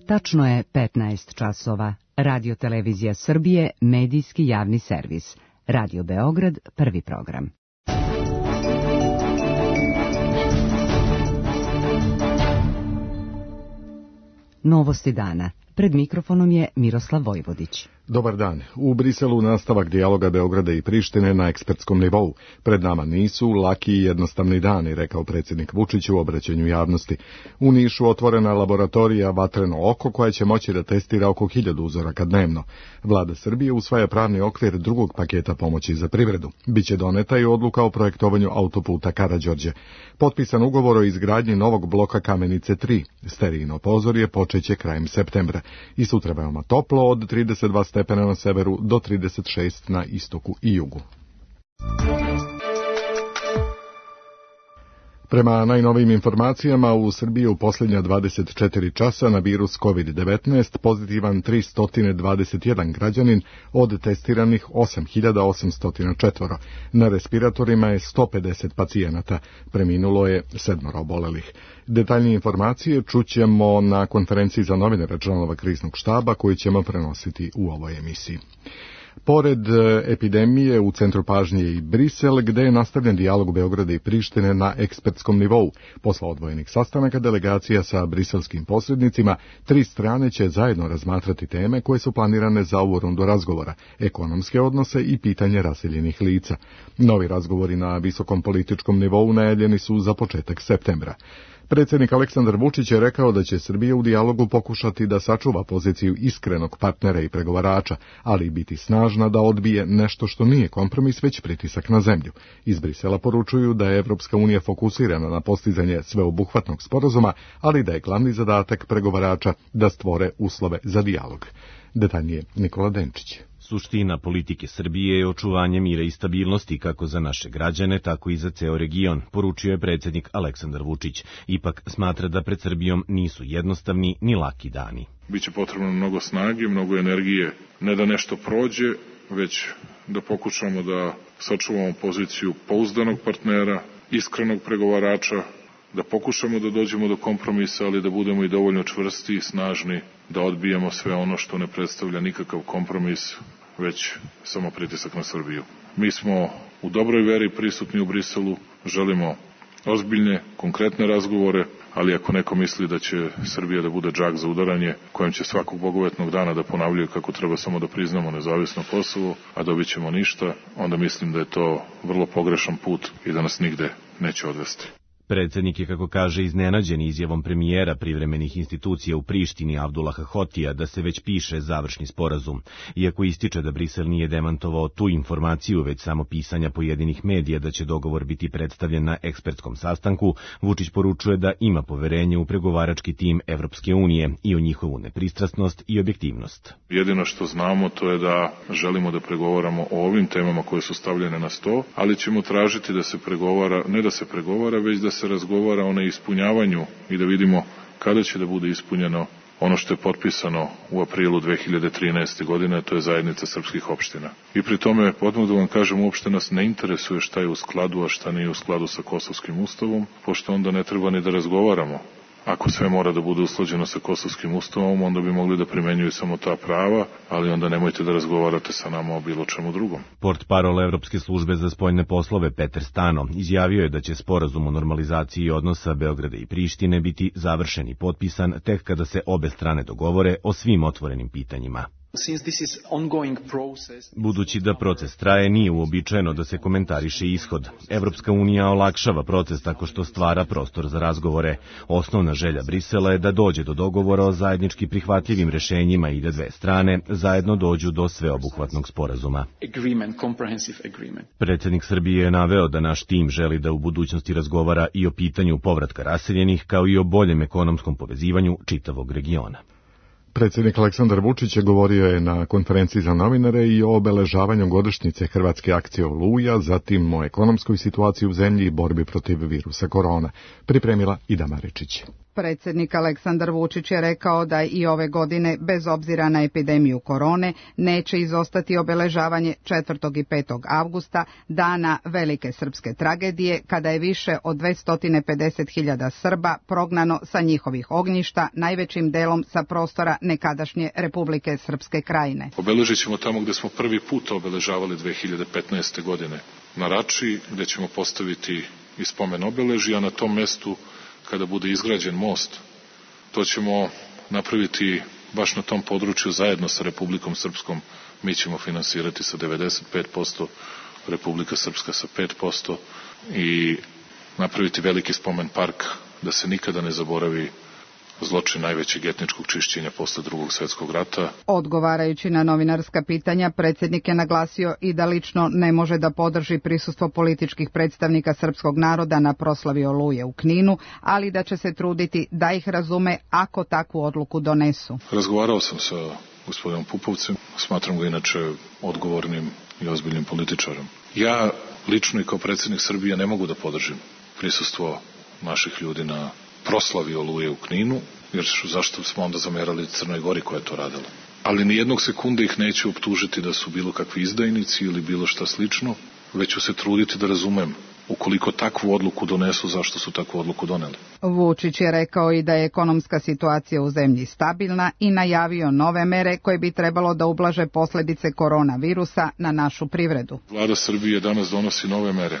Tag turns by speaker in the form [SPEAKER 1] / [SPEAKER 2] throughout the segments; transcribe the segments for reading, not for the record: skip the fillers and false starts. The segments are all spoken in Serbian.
[SPEAKER 1] Tačno je 15 časova. Radio Televizija Srbije, medijski javni servis. Radio Beograd, prvi program. Novosti dana. Pred mikrofonom je Miroslav Vojvodić.
[SPEAKER 2] Dobar dan. U Briselu nastavak dijaloga Beograda i Prištine na ekspertskom nivou. Pred nama nisu laki i jednostavni dani, rekao predsjednik Vučić u obraćanju javnosti. U Nišu otvorena laboratorija Vatreno oko koja će moći da testira oko 1000 uzoraka dnevno. Vlada Srbije usvaja pravni okvir drugog paketa pomoći za privredu. Biće doneta i odluka o projektovanju autoputa Karađorđe. Potpisan ugovor o izgradnji novog bloka Kamenice 3. Sterijino pozorje počeće krajem septembra. I sutra veoma toplo od 32 stepena na severu do 36 na istoku i jugu. Prema najnovijim informacijama, u Srbiji u posljednja 24 časa na virus COVID-19 pozitivan 321 građanin od testiranih 8804. Na respiratorima je 150 pacijenata, preminulo je 7 obolelih. Detaljnije informacije čućemo na konferenciji za novinare članova kriznog štaba koju ćemo prenositi u ovoj emisiji. Pored epidemije, u centru pažnje je i Brisel, gde je nastavljen dijalog Beograda i Prištine na ekspertskom nivou. Posle odvojenih sastanaka delegacija sa briselskim posrednicima, 3 strane će zajedno razmatrati teme koje su planirane za ovu rundu razgovora, ekonomske odnose i pitanje raseljenih lica. Novi razgovori na visokom političkom nivou najavljeni su za početak septembra. Predsjednik Aleksandar Vučić je rekao da će Srbija u dijalogu pokušati da sačuva poziciju iskrenog partnera i pregovarača, ali i biti snažna da odbije nešto što nije kompromis, već pritisak na zemlju. Iz Brisela poručuju da je Evropska unija fokusirana na postizanje sveobuhvatnog sporazuma, ali da je glavni zadatak pregovarača da stvore uslove za dijalog. Detaljnije Nikola Denčić.
[SPEAKER 3] Suština politike Srbije je očuvanje mira i stabilnosti kako za naše građane, tako i za ceo region, poručio je predsjednik Aleksandar Vučić. Ipak smatra da pred Srbijom nisu jednostavni ni laki dani.
[SPEAKER 4] Biće potrebno mnogo snage, mnogo energije, ne da nešto prođe, već da pokušamo da sačuvamo poziciju pouzdanog partnera, iskrenog pregovarača, da pokušamo da dođemo do kompromisa, ali da budemo i dovoljno čvrsti i snažni, da odbijemo sve ono što ne predstavlja nikakav kompromis, već samo pritisak na Srbiju. Mi smo u dobroj veri prisutni u Briselu, želimo ozbiljne, konkretne razgovore, ali ako neko misli da će Srbija da bude džak za udaranje, kojem će svakog bogovetnog dana da ponavljaju kako treba samo da priznamo nezavisno Kosovo, a dobit ćemo ništa, onda mislim da je to vrlo pogrešan put i da nas nigde neće odvesti.
[SPEAKER 3] Predsjednik je, kako kaže, iznenađen izjavom premijera privremenih institucija u Prištini Abdullaha Hotija da se već piše završni sporazum. Iako ističe da Brisel nije demantovao tu informaciju, već samo pisanja pojedinih medija da će dogovor biti predstavljen na ekspertskom sastanku, Vučić poručuje da ima poverenje u pregovarački tim Evropske unije i u njihovu nepristrasnost i objektivnost.
[SPEAKER 4] Jedino što znamo to je da želimo da pregovaramo o ovim temama koje su stavljene na sto, ali ćemo tražiti da se pregovara, ne da se pregovara, već da se razgovara o neispunjavanju i da vidimo kada će da bude ispunjeno ono što je potpisano u aprilu 2013. godine, to je zajednica srpskih opština. I pri tome, odmah da vam kažem, uopšte nas ne interesuje šta je u skladu, a šta nije u skladu sa Kosovskim ustavom, pošto onda ne treba ni da razgovaramo. Ako sve mora da bude usklađeno sa Kosovskim ustavom, onda bi mogli da primenjuju samo ta prava, ali onda nemojte da razgovarate sa nama o bilo čemu drugom.
[SPEAKER 3] Portparol Evropske službe za spoljne poslove Peter Stano izjavio je da će sporazum o normalizaciji odnosa Beograda i Prištine biti završen i potpisan tek kada se obe strane dogovore o svim otvorenim pitanjima. Budući da proces traje, nije uobičajeno da se komentariše ishod. Evropska unija olakšava proces tako što stvara prostor za razgovore. Osnovna želja Brisela je da dođe do dogovora o zajednički prihvatljivim rešenjima i da dve strane zajedno dođu do sveobuhvatnog sporazuma. Predsjednik Srbije je naveo da naš tim želi da u budućnosti razgovara i o pitanju povratka raseljenih, kao i o boljem ekonomskom povezivanju čitavog regiona.
[SPEAKER 2] Predsjednik Aleksandar Vučić govorio je na konferenciji za novinare i o obeležavanju godišnjice Hrvatske akcije Oluja, zatim o ekonomskoj situaciji u zemlji i borbi protiv virusa korona. Pripremila Ida Maričić.
[SPEAKER 5] Predsjednik Aleksandar Vučić je rekao da i ove godine, bez obzira na epidemiju korone, neće izostati obeležavanje 4. i 5. avgusta, dana velike srpske tragedije, kada je više od 250.000 Srba prognano sa njihovih ognjišta, najvećim delom sa prostora nekadašnje Republike Srpske Krajine.
[SPEAKER 4] Obeležit ćemo tamo gde smo prvi put obeležavali 2015. godine, na Rači, gde ćemo postaviti i spomen obeležja, a na tom mestu kada bude izgrađen most, to ćemo napraviti baš na tom području zajedno sa Republikom Srpskom. Mi ćemo finansirati sa 95%, Republika Srpska sa 5% i napraviti veliki spomen park da se nikada ne zaboravi zločin najvećeg etničkog čišćenja posle Drugog svjetskog rata.
[SPEAKER 5] Odgovarajući na novinarska pitanja, predsjednik je naglasio i da lično ne može da podrži prisustvo političkih predstavnika srpskog naroda na proslavi Oluje u Kninu, ali da će se truditi da ih razume ako takvu odluku donesu.
[SPEAKER 4] Razgovarao sam sa gospodinom Pupovcem, smatram ga inače odgovornim i ozbiljnim političarom. Ja lično i kao predsjednik Srbije ne mogu da podržim prisustvo naših ljudi na proslavi Oluje u Kninu, jer zašto smo onda zamerali Crnoj Gori koja je to radila. Ali ni jednog sekunde ih neću optužiti da su bilo kakvi izdajnici ili bilo šta slično, već ću se truditi da razumem ukoliko takvu odluku donesu, zašto su takvu odluku doneli.
[SPEAKER 5] Vučić je rekao i da je ekonomska situacija u zemlji stabilna i najavio nove mere koje bi trebalo da ublaže posljedice koronavirusa na našu privredu.
[SPEAKER 4] Vlada Srbije danas donosi nove mere.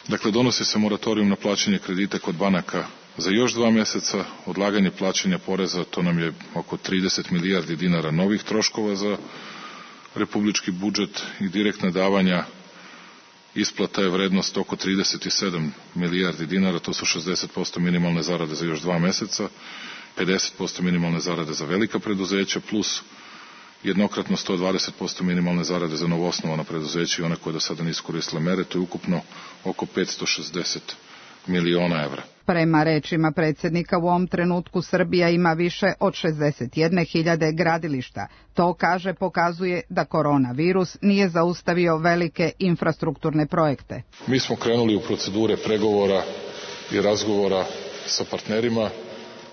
[SPEAKER 4] Dakle, donosi se moratorijum na plaćanje kredita kod banaka za još 2 mjeseca, odlaganje plaćanja poreza, to nam je oko 30 milijardi dinara novih troškova za republički budžet i direktna davanja. Isplata je vrednost oko 37 milijardi dinara, to su 60% minimalne zarade za još 2 mjeseca, 50% minimalne zarade za velika preduzeća, plus jednokratno 120% minimalne zarade za novoosnovana preduzeća i one koje do sada nisu koristile mere, to je ukupno oko 560 miliona evra.
[SPEAKER 5] Prema rečima predsjednika, u ovom trenutku Srbija ima više od 61.000 gradilišta. To, kaže, pokazuje da koronavirus nije zaustavio velike infrastrukturne projekte.
[SPEAKER 4] Mi smo krenuli u procedure pregovora i razgovora sa partnerima,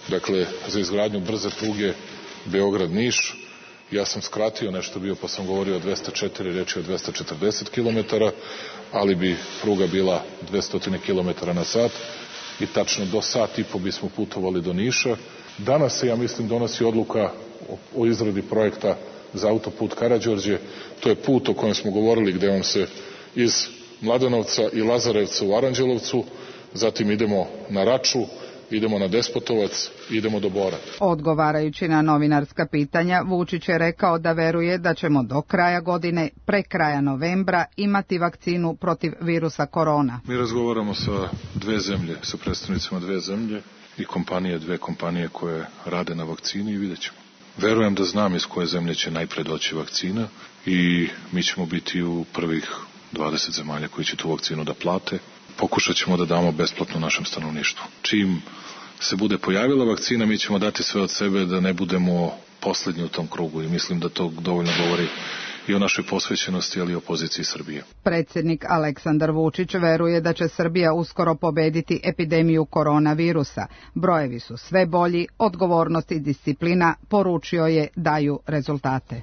[SPEAKER 4] dakle za izgradnju brze pruge Beograd-Niš. Ja sam skratio nešto bio pa sam govorio o 204, reč je o 240 km, ali bi pruga bila 200 km na sat i tačno do sat i po bismo putovali do Niša. Danas se, ja mislim, donosi odluka o izradi projekta za autoput Karađorđe. To je put o kojem smo govorili, gde on se iz Mladenovca i Lazarevca u Aranđelovcu, zatim idemo na Raču, idemo na Despotovac, idemo do Bora.
[SPEAKER 5] Odgovarajući na novinarska pitanja, Vučić je rekao da veruje da ćemo do kraja godine, pre kraja novembra, imati vakcinu protiv virusa korona.
[SPEAKER 4] Mi razgovaramo sa 2 zemlje, sa predstavnicima 2 zemlje i dve kompanije koje rade na vakcini i vidjet ćemo. Verujem da znam iz koje zemlje će najpre doći vakcina i mi ćemo biti u prvih 20 zemalja koji će tu vakcinu da plate. Pokušat ćemo da damo besplatno našem stanovništvu. Čim se bude pojavila vakcina, mi ćemo dati sve od sebe da ne budemo poslednji u tom krugu i mislim da to dovoljno govori i o našoj posvećenosti, ali i o poziciji Srbije.
[SPEAKER 5] Predsjednik Aleksandar Vučić veruje da će Srbija uskoro pobediti epidemiju koronavirusa. Brojevi su sve bolji, odgovornost i disciplina, poručio je, daju rezultate.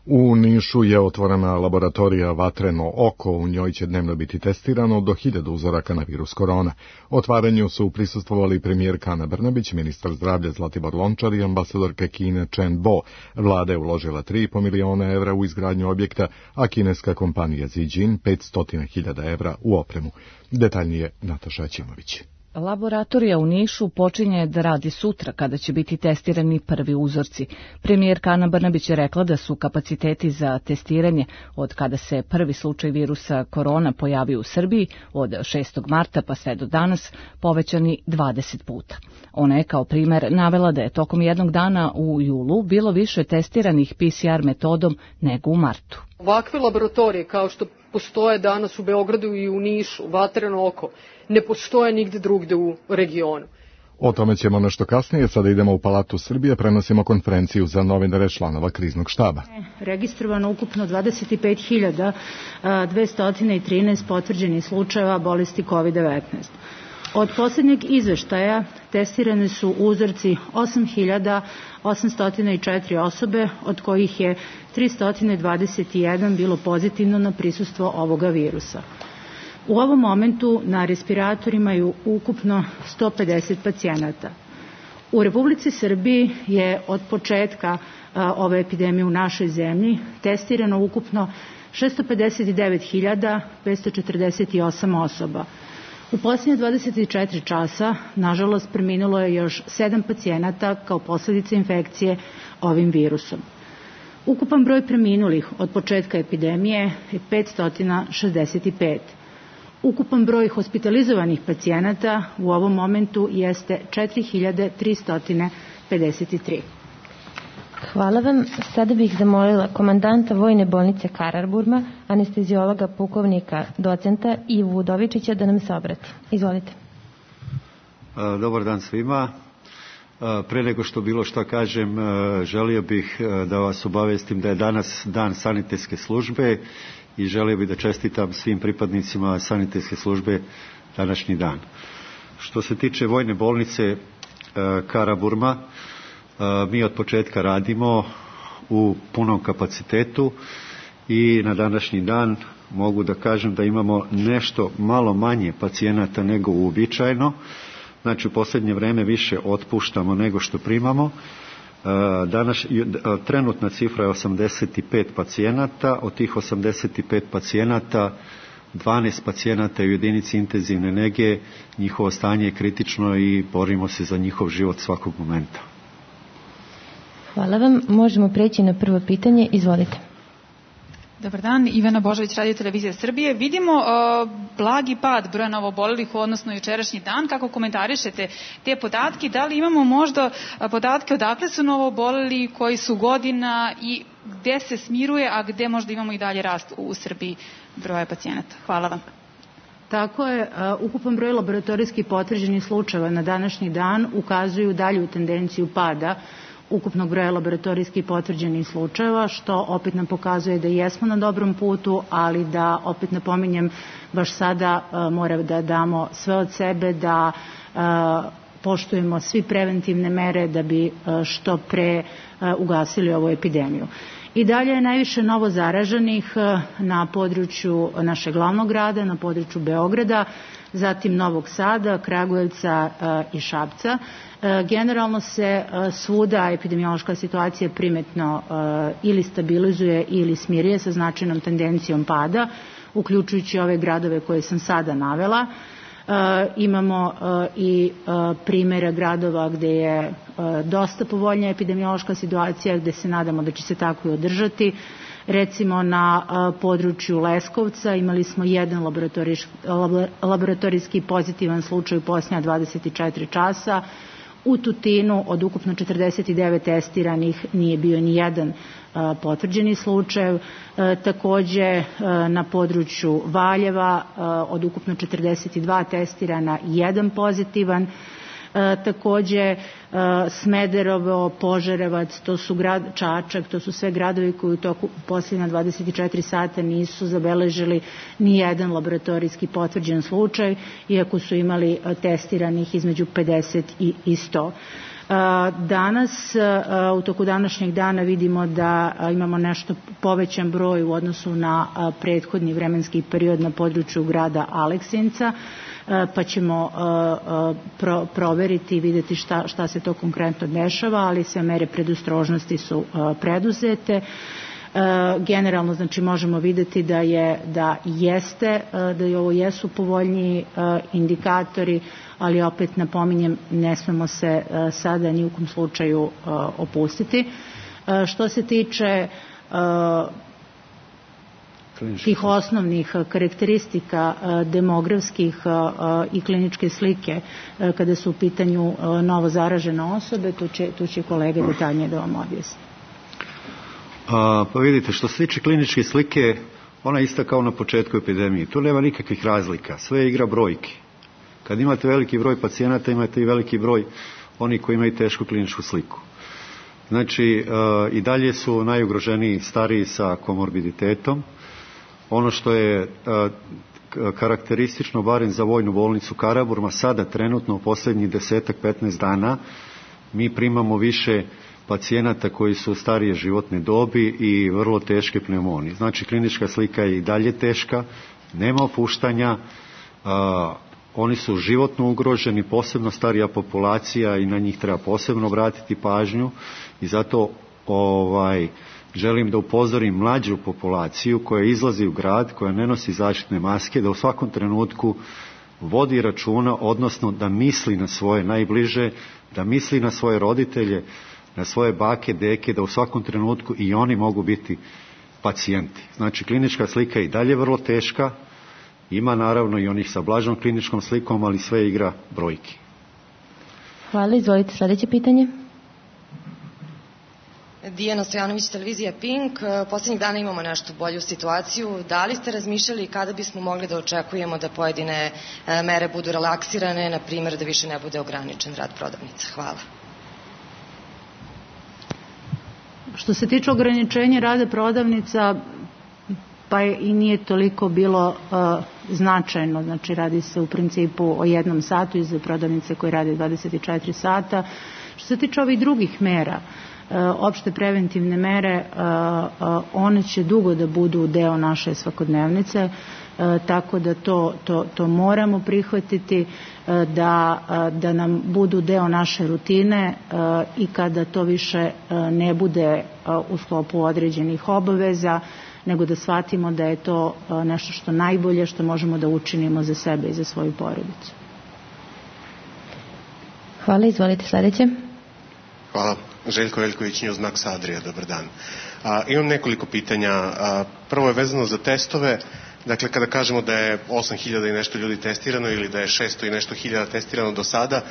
[SPEAKER 2] U Nišu je otvorena laboratorija Vatreno oko, u njoj će dnevno biti testirano do 1000 uzoraka na virus korona. Otvaranju su prisustvovali premijerka Ana Brnabić, ministar zdravlja Zlatibor Lončar i ambasadorka Kine Chen Bo. Vlada je uložila 3,5 miliona evra u izgradnju objekta, a kineska kompanija Zijin 500.000 evra u opremu. Detaljnije Nataša Ćimović.
[SPEAKER 6] Laboratorija u Nišu počinje da radi sutra kada će biti testirani prvi uzorci. Premijerka Ana Brnabić je rekla da su kapaciteti za testiranje od kada se prvi slučaj virusa korona pojavio u Srbiji od 6. marta pa sve do danas povećani 20 puta. Ona je kao primer navela da je tokom jednog dana u julu bilo više testiranih PCR metodom nego u martu.
[SPEAKER 7] Ovakve laboratorije kao što postoje danas u Beogradu i u Nišu, Vatreno oko, ne postoje nigde drugde u regionu.
[SPEAKER 2] O tome ćemo nešto kasnije, sada idemo u Palatu Srbije, prenosimo konferenciju za novinare članova kriznog štaba.
[SPEAKER 8] Registrovano ukupno 25.213 potvrđenih slučajeva bolesti COVID-19. Od posljednjeg izveštaja testirane su uzorci 8.804 osobe, od kojih je 321 bilo pozitivno na prisustvo ovoga virusa. U ovom momentu na respiratorima je ukupno 150 pacijenata. U Republici Srbiji je od početka ove epidemije u našoj zemlji testirano ukupno 659.548 osoba. U posljednje 24 časa, nažalost, preminulo je još 7 pacijenata kao posljedica infekcije ovim virusom. Ukupan broj preminulih od početka epidemije je 565. Ukupan broj hospitalizovanih pacijenata u ovom momentu jeste 4.353.
[SPEAKER 9] Hvala vam. Sada bih zamolila komandanta Vojne bolnice Karaburma, anesteziologa pukovnika docenta Ivu Udovičića da nam se obrati. Izvolite.
[SPEAKER 10] Dobar dan svima. Pre nego što bilo šta kažem, želio bih da vas obavestim da je danas dan sanitetske službe i želio bih da čestitam svim pripadnicima sanitetske službe današnji dan. Što se tiče Vojne bolnice Karaburma, mi od početka radimo u punom kapacitetu i na današnji dan mogu da kažem da imamo nešto malo manje pacijenata nego uobičajeno. Znači u posljednje vreme više otpuštamo nego što primamo. Trenutna cifra je 85 pacijenata, od tih 85 pacijenata 12 pacijenata je u jedinici intenzivne nege, njihovo stanje je kritično i borimo se za njihov život svakog momenta.
[SPEAKER 9] Hvala vam. Možemo preći na prvo pitanje. Izvolite.
[SPEAKER 11] Dobar dan, Ivana Božović, Radio Televizija Srbije. Vidimo blagi pad broja novoobolelih u odnosu na jučerašnji dan. Kako komentarišete te podatke? Da li imamo možda podatke odakle su novooboleli, koji su godina i gde se smiruje, a gde možda imamo i dalje rast u Srbiji broja pacijenata? Hvala vam.
[SPEAKER 8] Tako je, ukupan broj laboratorijski potvrđenih slučajeva na današnji dan ukazuju dalju tendenciju pada ukupnog broja laboratorijski potvrđenih slučajeva, što opet nam pokazuje da jesmo na dobrom putu, ali da, opet napominjem, baš sada mora da damo sve od sebe, da poštujemo svi preventivne mere da bi što pre ugasili ovu epidemiju. I dalje je najviše novo zaraženih na području našeg glavnog grada, na području Beograda, zatim Novog Sada, Kragujevca i Šapca. Generalno se svuda epidemiološka situacija primetno ili stabilizuje ili smiruje sa značajnom tendencijom pada, uključujući ove gradove koje sam sada navela. Imamo i primjere gradova gde je dosta povoljnija epidemiološka situacija, gde se nadamo da će se tako i održati. Recimo na području Leskovca imali smo jedan laboratorijski pozitivan slučaj u posljednja 24 časa. U Tutinu od ukupno 49 testiranih nije bio ni jedan potvrđeni slučaj. Takođe na području Valjeva od ukupno 42 testirana jedan pozitivan. Takođe Smederevo, Požarevac, to su Čačak, to su sve gradovi koji u toku posljednja 24 sata nisu zabeležili ni jedan laboratorijski potvrđen slučaj, iako su imali testiranih između 50 i 100. Danas, u toku današnjeg dana vidimo da imamo nešto povećan broj u odnosu na prethodni vremenski period na području grada Aleksinca, pa ćemo proveriti i vidjeti šta se to konkretno dešava, ali sve mere predostrožnosti su preduzete. Generalno, znači, možemo vidjeti da ovo jesu povoljniji indikatori, ali opet napominjem, ne smemo se sada ni u kom slučaju opustiti. Što se tiče tih osnovnih karakteristika demografskih i kliničke slike kada su u pitanju novo zaražene osobe, tu će kolega detaljnije da vam objasni.
[SPEAKER 10] Pa vidite, što se tiče kliničke slike, ona je ista kao na početku epidemije. Tu nema nikakvih razlika, sve je igra brojki. Kad imate veliki broj pacijenata, imate i veliki broj onih koji imaju tešku kliničku sliku. Znači, i dalje su najugroženiji stariji sa komorbiditetom. Ono što je karakteristično barem za vojnu bolnicu Karaburma, sada trenutno u posljednjih 10-15 dana mi primamo više pacijenata koji su starije životne dobi i vrlo teške pneumonije. Znači, klinička slika je i dalje teška, nema opuštanja, oni su životno ugroženi, posebno starija populacija i na njih treba posebno obratiti pažnju i zato želim da upozorim mlađu populaciju koja izlazi u grad, koja ne nosi zaštitne maske, da u svakom trenutku vodi računa, odnosno da misli na svoje najbliže, da misli na svoje roditelje, na svoje bake, deke, da u svakom trenutku i oni mogu biti pacijenti. Znači, klinička slika je i dalje vrlo teška, ima naravno i onih sa blažom kliničkom slikom, ali sve igra brojki.
[SPEAKER 9] Hvala, izvolite sljedeće pitanje.
[SPEAKER 12] Dijana Stojanović, televizija Pink. Posljednjih dana imamo nešto bolju situaciju. Da li ste razmišljali kada bismo mogli da očekujemo da pojedine mere budu relaksirane, na primjer da više ne bude ograničen rad prodavnica? Hvala.
[SPEAKER 8] Što se tiče ograničenja rada prodavnica, pa i nije toliko bilo značajno, znači radi se u principu o 1 satu iz prodavnice koje rade 24 sata. Što se tiče ovih drugih mera, opšte preventivne mere, one će dugo da budu deo naše svakodnevnice, tako da to moramo prihvatiti, da nam budu deo naše rutine i kada to više ne bude u sklopu određenih obaveza, nego da shvatimo da je to nešto što najbolje što možemo da učinimo za sebe i za svoju porodicu.
[SPEAKER 9] Hvala, izvolite sljedeće.
[SPEAKER 13] Hvala. Željko Veljković, Newsmax Adria, dobar dan. Imam nekoliko pitanja. Prvo je vezano za testove. Dakle, kada kažemo da je 8.000 i nešto ljudi testirano ili da je 600 i nešto hiljada testirano do sada,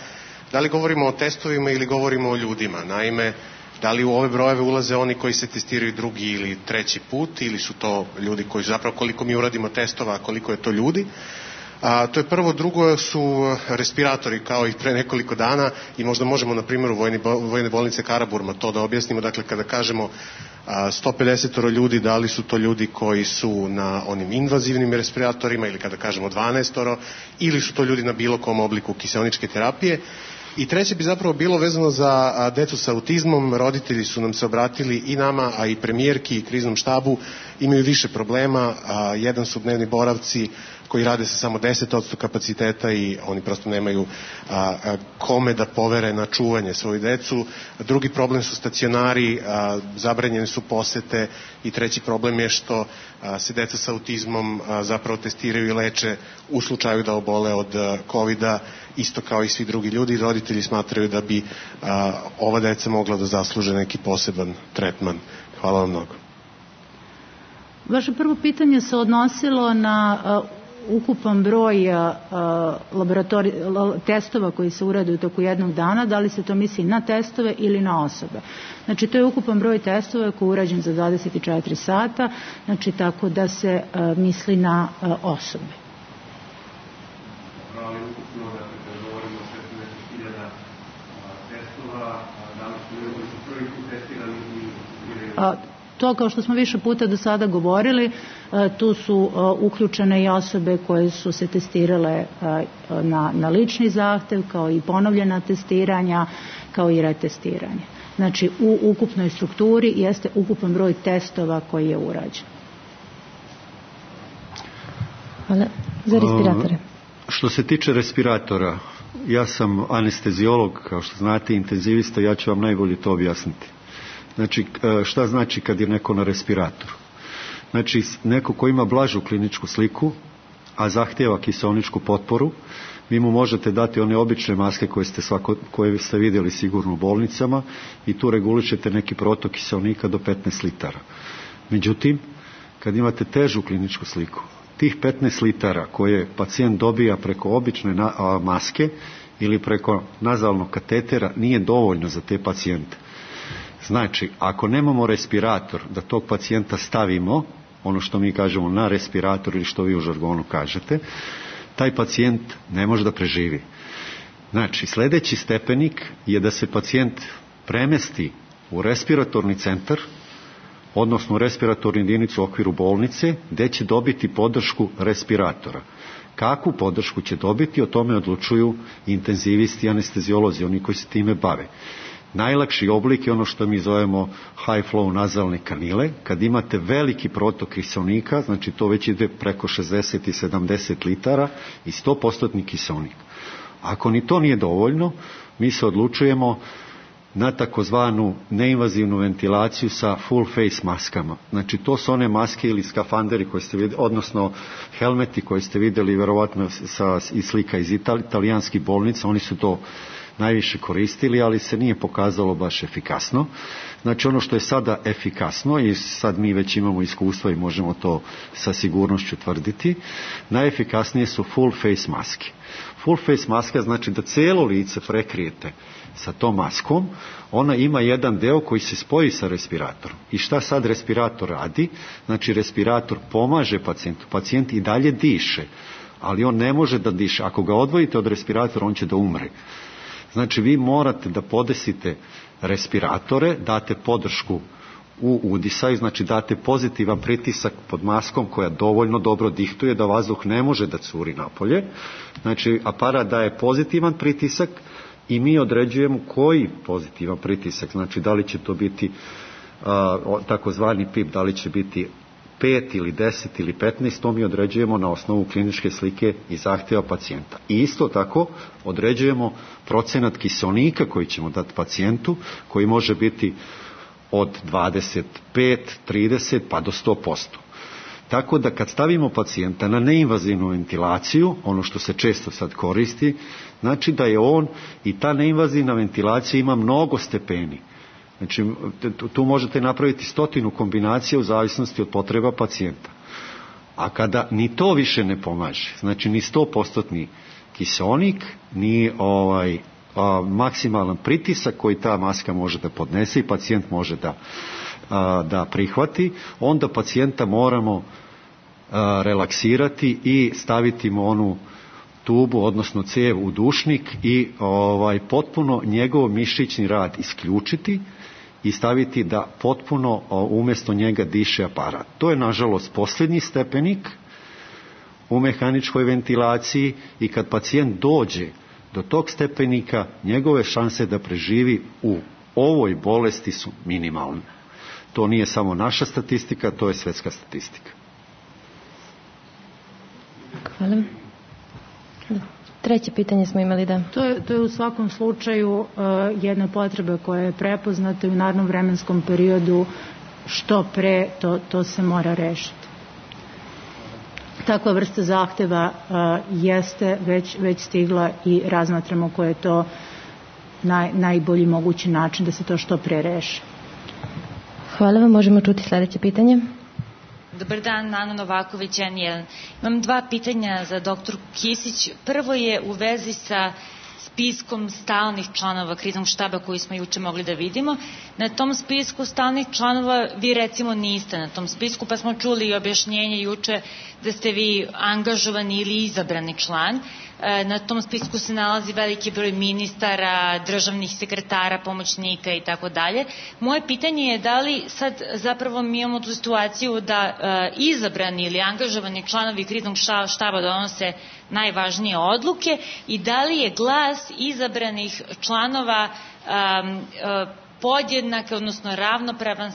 [SPEAKER 13] da li govorimo o testovima ili govorimo o ljudima? Naime, da li u ove brojeve ulaze oni koji se testiraju drugi ili treći put ili su to ljudi koji zapravo, koliko mi uradimo testova, koliko je to ljudi? To je prvo. Drugo su respiratori, kao i pre nekoliko dana, i možda možemo na primjeru vojne bolnice Karaburma to da objasnimo. Dakle, kada kažemo 150 ljudi, da li su to ljudi koji su na onim invazivnim respiratorima ili kada kažemo 12, ili su to ljudi na bilo kom obliku kiseoničke terapije? I treće bi zapravo bilo vezano za decu sa autizmom. Roditelji su nam se obratili i nama, a i premijerki i kriznom štabu, imaju više problema. Jedan su dnevni boravci koji rade sa samo 10% kapaciteta i oni prosto nemaju kome da povere na čuvanje svoju decu. Drugi problem su stacionari, zabranjene su posete i treći problem je što se deca sa autizmom zapravo testiraju i leče u slučaju da obole od COVID-a, isto kao i svi drugi ljudi. Roditelji smatraju da bi ova deca mogla da zasluže neki poseban tretman. Hvala vam mnogo.
[SPEAKER 8] Vaše prvo pitanje se odnosilo na ukupan broj testova koji se urade u toku jednog dana, da li se to misli na testove ili na osobe. Znači, to je ukupan broj testova koji je urađen za 24 sata, znači tako da se misli na osobe. To, kao što smo više puta do sada govorili, tu su uključene i osobe koje su se testirale na lični zahtev, kao i ponovljena testiranja, kao i retestiranje. Znači, u ukupnoj strukturi jeste ukupan broj testova koji je urađen.
[SPEAKER 9] Hvala. Za respiratore.
[SPEAKER 10] Što se tiče respiratora, ja sam anesteziolog, kao što znate, intenzivista, ja ću vam najbolje to objasniti. Znači, šta znači kad je neko na respiratoru? Znači, neko ko ima blažu kliničku sliku, a zahtjeva kiseoničku potporu, vi mu možete dati one obične maske koje ste vidjeli sigurno u bolnicama i tu regulišete neki protok kiseonika do 15 litara. Međutim, kad imate težu kliničku sliku, tih 15 litara koje pacijent dobija preko obične maske ili preko nazalnog katetera nije dovoljno za te pacijente. Znači, ako nemamo respirator da tog pacijenta stavimo, ono što mi kažemo na respirator ili što vi u žargonu kažete, taj pacijent ne može da preživi. Znači, sljedeći stepenik je da se pacijent premesti u respiratorni centar, odnosno u respiratornu jedinicu u okviru bolnice, gdje će dobiti podršku respiratora. Kakvu podršku će dobiti, o tome odlučuju intenzivisti i anesteziolozi, oni koji se time bave. Najlakši oblik je ono što mi zovemo high flow nazalne kanile, kad imate veliki protok kiseonika, znači to već ide preko 60 i 70 litara i 100% kiseonik. Ako ni to nije dovoljno, mi se odlučujemo na takozvanu neinvazivnu ventilaciju sa full face maskama. Znači to su one maske ili skafanderi koje ste vidjeli, odnosno helmeti koje ste vidjeli vjerovatno iz slika iz italijanskih bolnica, oni su to najviše koristili, ali se nije pokazalo baš efikasno. Znači ono što je sada efikasno i sad mi već imamo iskustva i možemo to sa sigurnošću tvrditi, najefikasnije su full face maske. Full face maska znači da cijelo lice prekrijete sa tom maskom, ona ima jedan deo koji se spoji sa respiratorom. I šta sad respirator radi? Znači respirator pomaže pacijentu. Pacijent i dalje diše, ali on ne može da diše. Ako ga odvojite od respiratora, on će da umre. Znači vi morate da podesite respiratore, date podršku u udisaju, znači date pozitivan pritisak pod maskom koja dovoljno dobro dihtuje da vazduh ne može da curi napolje. Znači aparat daje pozitivan pritisak i mi određujemo koji pozitivan pritisak, znači da li će to biti takozvani PIP, da li će biti 5 ili 10 ili 15, to mi određujemo na osnovu kliničke slike i zahtjeva pacijenta. I isto tako određujemo procenat kiseonika koji ćemo dati pacijentu, koji može biti od 25, 30 pa do 100%. Tako da kad stavimo pacijenta na neinvazivnu ventilaciju, ono što se često sad koristi, znači da je on i ta neinvazivna ventilacija ima mnogo stepeni. Znači, tu možete napraviti 100 kombinacija u zavisnosti od potreba pacijenta. A kada ni to više ne pomaže, znači ni 100% kiseonik, ni maksimalan pritisak koji ta maska može da podnese i pacijent može da prihvati, onda pacijenta moramo relaksirati i staviti mu onu tubu, odnosno cijev u dušnik i potpuno njegov mišićni rad isključiti i staviti da potpuno umjesto njega diše aparat. To je nažalost posljednji stepenik u mehaničkoj ventilaciji i kad pacijent dođe do tog stepenika, njegove šanse da preživi u ovoj bolesti su minimalne. To nije samo naša statistika, to je svjetska statistika.
[SPEAKER 9] Hvala. Treće pitanje smo imali, da.
[SPEAKER 8] To je u svakom slučaju jedna potreba koja je prepoznata i u narednom vremenskom periodu što pre to se mora rešiti. Takva vrsta zahteva jeste već stigla i razmatramo koje je to najbolji mogući način da se to što pre reši.
[SPEAKER 9] Hvala vam, možemo čuti sljedeće pitanje.
[SPEAKER 14] Dobar dan, Ana Novaković, N1. Imam 2 pitanja za dr. Kisić. Prvo je u vezi sa spiskom stalnih članova kriznog štaba koji smo juče mogli da vidimo. Na tom spisku stalnih članova vi recimo niste na tom spisku, pa smo čuli objašnjenje juče da ste vi angažovani ili izabrani član. Na tom spisku se nalazi veliki broj ministara, državnih sekretara, pomoćnika i tako dalje. Moje pitanje je da li sad zapravo mi imamo tu situaciju da izabrani ili angažovani članovi kriznog štaba donose najvažnije odluke i da li je glas izabranih članova podjednak, odnosno ravnopravan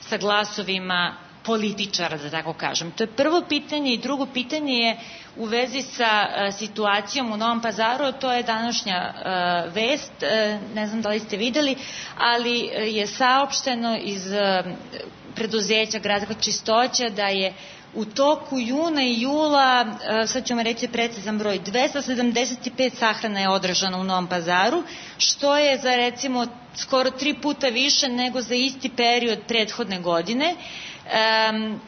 [SPEAKER 14] sa glasovima političara, da tako kažem. To je prvo pitanje i drugo pitanje je u vezi sa situacijom u Novom Pazaru, to je današnja vest, ne znam da li ste videli, ali je saopšteno iz preduzeća Gradska čistoća da je u toku juna i jula, sad ću vam reći precizan broj, 275 sahrana je održano u Novom Pazaru, što je za recimo skoro 3 puta više nego za isti period prethodne godine.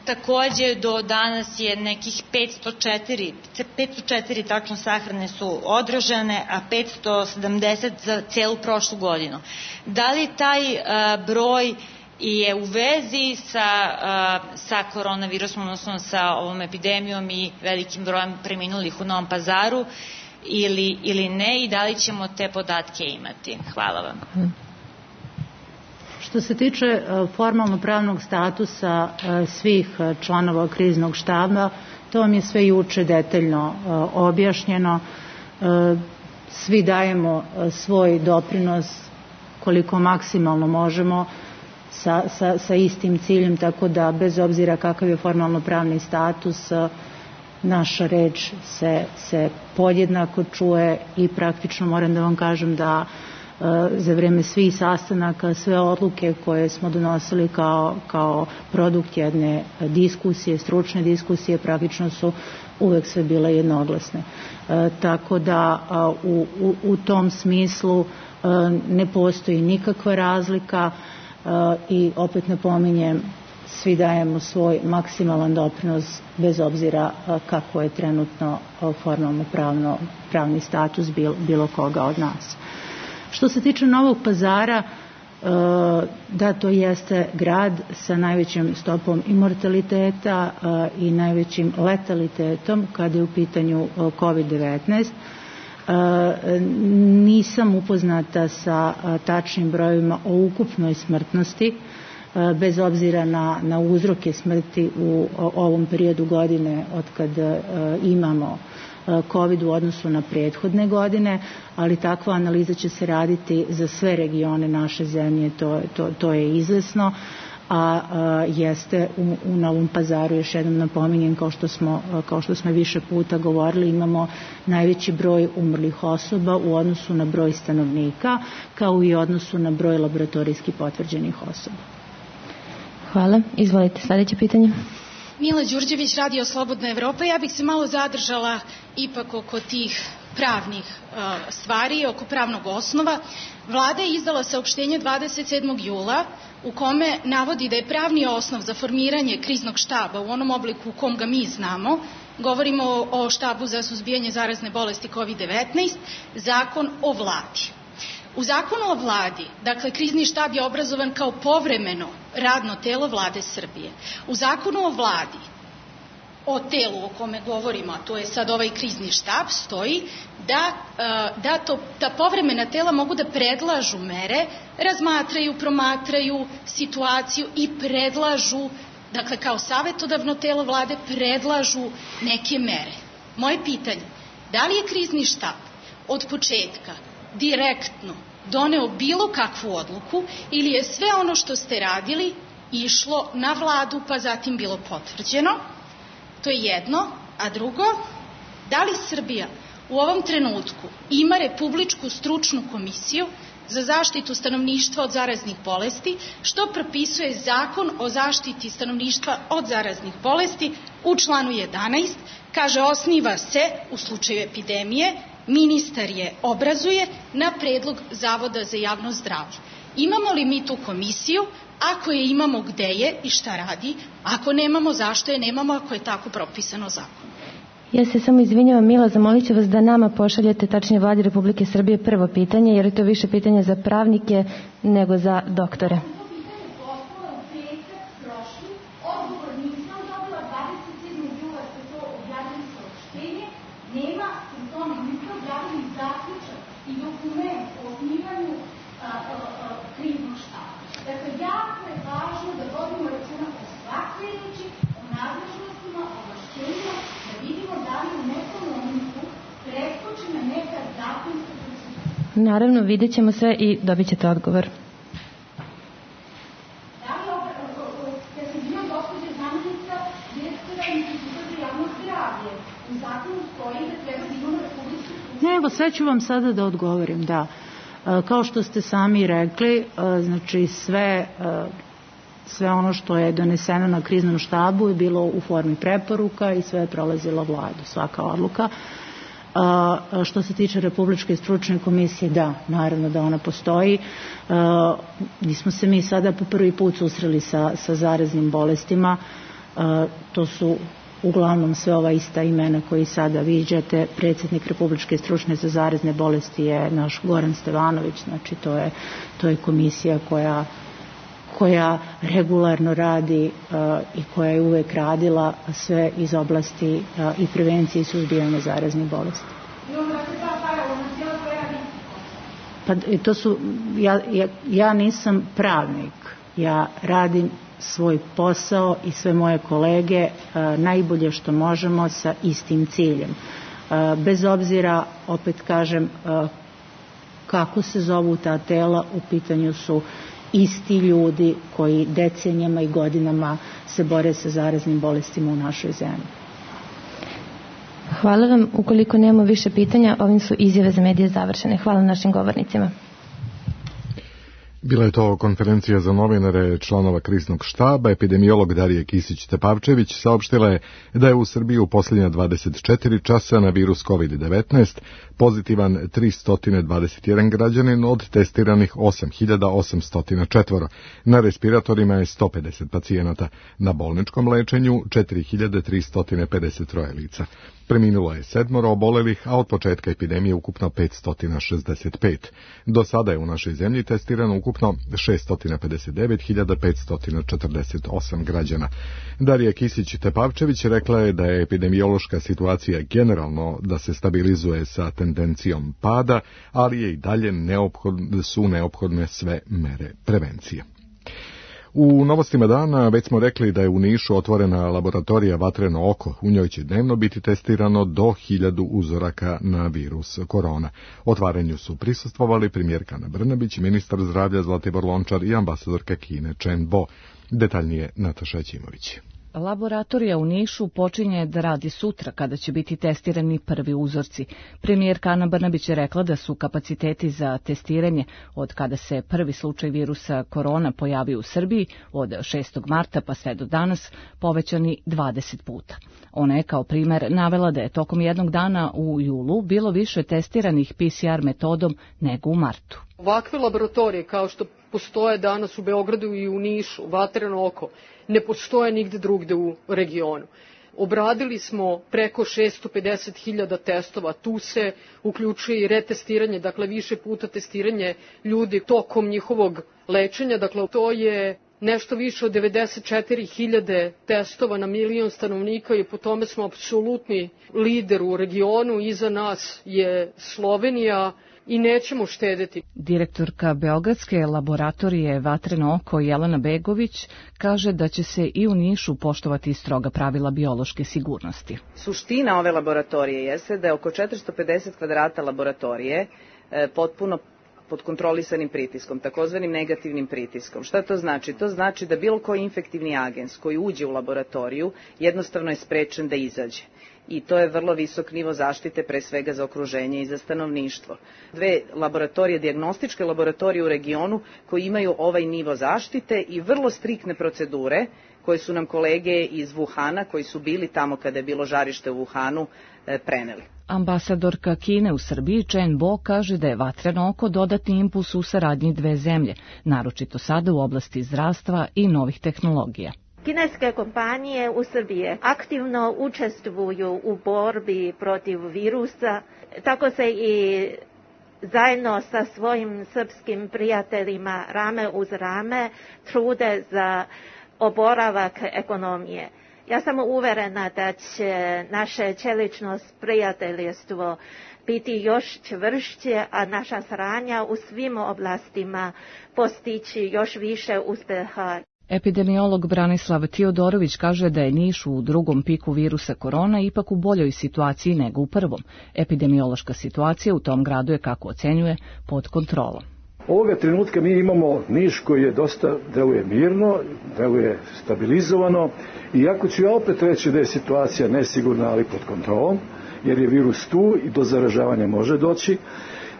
[SPEAKER 14] Takođe do danas je nekih 504 tačno sahrane su održane, a 570 za celu prošlu godinu. Da li taj broj je u vezi sa koronavirusom, odnosno sa ovom epidemijom i velikim brojem preminulih u Novom Pazaru ili ne, i da li ćemo te podatke imati? Hvala vam.
[SPEAKER 8] Što se tiče formalno-pravnog statusa svih članova kriznog štaba, to vam je sve juče detaljno objašnjeno. Svi dajemo svoj doprinos koliko maksimalno možemo sa istim ciljem, tako da bez obzira kakav je formalno-pravni status, naša reč se podjednako čuje i praktično moram da vam kažem da za vreme svih sastanaka, sve odluke koje smo donosili kao produkt jedne diskusije, stručne diskusije, praktično su uvek sve bile jednoglasne. Tako da u tom smislu ne postoji nikakva razlika i opet napominjem, svi dajemo svoj maksimalan doprinos bez obzira kako je trenutno formalno pravni status bilo koga od nas. Što se tiče Novog Pazara, da, to jeste grad sa najvećim stopom immortaliteta i najvećim letalitetom kada je u pitanju COVID-19. Nisam upoznata sa tačnim brojevima o ukupnoj smrtnosti, bez obzira na uzroke smrti u ovom periodu godine od kad imamo COVID u odnosu na prethodne godine, ali takva analiza će se raditi za sve regione naše zemlje, to je izvesno, a jeste u Novom Pazaru, još jednom napominjem, kao što smo više puta govorili, imamo najveći broj umrlih osoba u odnosu na broj stanovnika, kao i u odnosu na broj laboratorijski potvrđenih osoba.
[SPEAKER 9] Hvala. Izvolite, sljedeće pitanje.
[SPEAKER 15] Mila Đurđević, Radio Slobodna Evropa. Ja bih se malo zadržala ipak oko tih pravnih stvari, oko pravnog osnova. Vlada je izdala saopštenje 27. jula u kome navodi da je pravni osnov za formiranje kriznog štaba u onom obliku u kom ga mi znamo, govorimo o štabu za suzbijanje zarazne bolesti COVID-19, zakon o vladi. U zakonu o vladi, dakle, krizni štab je obrazovan kao povremeno radno telo vlade Srbije. U zakonu o vladi, o telu o kome govorimo, a to je sad ovaj krizni štab, stoji da povremena tela mogu da predlažu mere, razmatraju, promatraju situaciju i predlažu, dakle, kao savetodavno telo vlade, predlažu neke mere. Moje pitanje, da li je krizni štab od početka direktno doneo bilo kakvu odluku ili je sve ono što ste radili išlo na vladu pa zatim bilo potvrđeno? To je jedno. A drugo, da li Srbija u ovom trenutku ima Republičku stručnu komisiju za zaštitu stanovništva od zaraznih bolesti, što propisuje Zakon o zaštiti stanovništva od zaraznih bolesti u članu 11, kaže osniva se u slučaju epidemije, ministar je obrazuje na predlog Zavoda za javno zdravlje. Imamo li mi tu komisiju? Ako je imamo, gde je i šta radi? Ako nemamo, zašto je nemamo, ako je tako propisano zakonom?
[SPEAKER 9] Ja se samo izvinjavam, Mila, zamolit ću vas da nama pošaljete, tačnije Vladi Republike Srbije, prvo pitanje, jer je to više pitanje za pravnike nego za doktore. Naravno, vidjet ćemo sve i dobit ćete odgovor.
[SPEAKER 8] Evo, sve ću vam sada da odgovorim, da. Kao što ste sami rekli, znači sve ono što je doneseno na kriznom štabu je bilo u formi preporuka i sve je prolazilo vladu, svaka odluka. Što se tiče Republičke stručne komisije, da, naravno da ona postoji. Nismo se mi sada po prvi put susreli sa zaraznim bolestima. To su uglavnom sve ova ista imena koji sada viđate. Predsjednik Republičke stručne za zarazne bolesti je naš Goran Stevanović, znači to je komisija koja regularno radi i koja je uvek radila sve iz oblasti i prevencije i suzbijanja zaraznih bolesti. Pa to su, ja nisam pravnik, ja radim svoj posao i sve moje kolege najbolje što možemo sa istim ciljem. Bez obzira, opet kažem, kako se zovu ta tela, u pitanju su isti ljudi koji decenijama i godinama se bore sa zaraznim bolestima u našoj zemlji.
[SPEAKER 9] Hvala vam. Ukoliko nemamo više pitanja, ovim su izjave za medije završene. Hvala našim govornicima.
[SPEAKER 2] Bila je to konferencija za novinare članova kriznog štaba. Epidemiolog Darija Kisić-Tepavčević saopštila je da je u Srbiji u posljednja 24 časa na virus COVID-19 pozitivan 321 građanin od testiranih 8.804. Na respiratorima je 150 pacijenata. Na bolničkom lečenju 4.353 lica. Preminulo je 7 obolelih, a od početka epidemije ukupno 565. Do sada je u našoj zemlji testirano ukupno 659.548 građana. Darija Kisić-Tepavčević rekla je da je epidemiološka situacija generalno da se stabilizuje sa tendencijom pada, ali je i dalje su neophodne sve mere prevencije. U novostima dana već smo rekli da je u Nišu otvorena laboratorija Vatreno oko. U njoj će dnevno biti testirano do 1000 uzoraka na virus korona. Otvaranju su prisustvovali premijerka Ana Brnabić, ministar zdravlja Zlatibor Lončar i ambasadorka Kine Chen Bo. Detaljnije Nataša Ćimović.
[SPEAKER 6] Laboratorija u Nišu počinje da radi sutra kada će biti testirani prvi uzorci. Premijerka Ana Brnabić je rekla da su kapaciteti za testiranje od kada se prvi slučaj virusa korona pojavio u Srbiji od 6. marta pa sve do danas povećani 20 puta. Ona je kao primer navela da je tokom jednog dana u julu bilo više testiranih PCR metodom nego u martu.
[SPEAKER 7] Ovakve laboratorije kao što postoje danas u Beogradu i u Nišu, Vatreno oko, ne postoje nigde drugde u regionu. Obradili smo preko 650.000 testova, tu se uključuje i retestiranje, dakle više puta testiranje ljudi tokom njihovog lečenja, dakle to je nešto više od 94.000 testova na milion stanovnika i po tome smo apsolutni lider u regionu, iza nas je Slovenija, i nećemo štedeti.
[SPEAKER 6] Direktorka Beogradske laboratorije Vatreno oko Jelena Begović kaže da će se i u Nišu poštovati stroga pravila biološke sigurnosti.
[SPEAKER 16] Suština ove laboratorije jeste da je oko 450 kvadrata laboratorije potpuno pod kontrolisanim pritiskom, takozvanim negativnim pritiskom. Šta to znači? To znači da bilo koji infektivni agens koji uđe u laboratoriju jednostavno je sprečen da izađe. I to je vrlo visok nivo zaštite, pre svega za okruženje i za stanovništvo. Dve laboratorije, dijagnostičke laboratorije u regionu koji imaju ovaj nivo zaštite i vrlo striktne procedure koje su nam kolege iz Wuhana, koji su bili tamo kada je bilo žarište u Wuhanu, preneli.
[SPEAKER 6] Ambasadorka Kine u Srbiji Chen Bo kaže da je Vatreno oko dodatni impuls u saradnji dve zemlje, naročito sada u oblasti zdravstva i novih tehnologija.
[SPEAKER 17] Kineske kompanije u Srbiji aktivno učestvuju u borbi protiv virusa, tako se i zajedno sa svojim srpskim prijateljima rame uz rame trude za oporavak ekonomije. Ja sam uverena da će naše čelično prijateljstvo biti još čvršće, a naša saradnja u svim oblastima postići još više uspeha.
[SPEAKER 6] Epidemiolog Branislav Tiodorović kaže da je Niš u drugom piku virusa korona ipak u boljoj situaciji nego u prvom. Epidemiološka situacija u tom gradu je, kako ocenjuje, pod kontrolom.
[SPEAKER 18] Ovoga trenutka mi imamo Niš koji je dosta deluje mirno, deluje stabilizovano, iako ću ja opet reći da je situacija nesigurna, ali pod kontrolom, jer je virus tu i do zaražavanja može doći.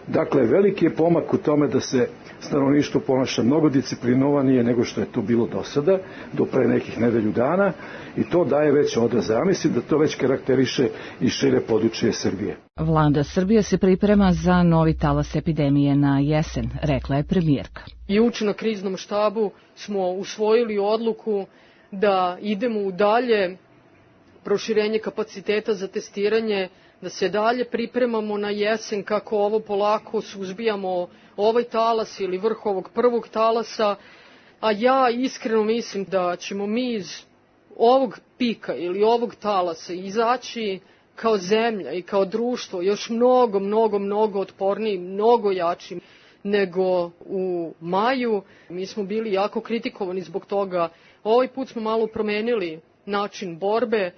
[SPEAKER 18] Dakle, veliki je pomak u tome da se stanovništvo ponaša mnogo disciplinovanije nego što je to bilo do sada, do pre nekih nedelju dana, i to daje već odraz. Ja mislim da to već karakteriše i šire područje Srbije.
[SPEAKER 6] Vlada Srbije se priprema za novi talas epidemije na jesen, rekla je premijerka.
[SPEAKER 7] Juče na kriznom štabu smo usvojili odluku da idemo u dalje proširenje kapaciteta za testiranje, da se dalje pripremamo na jesen kako ovo polako suzbijamo ovaj talas ili vrh ovog prvog talasa. a ja iskreno mislim da ćemo mi iz ovog pika ili ovog talasa izaći kao zemlja i kao društvo još mnogo otporniji, mnogo jači nego u maju. Mi smo bili jako kritikovani zbog toga. Ovaj put smo malo promenili način borbe,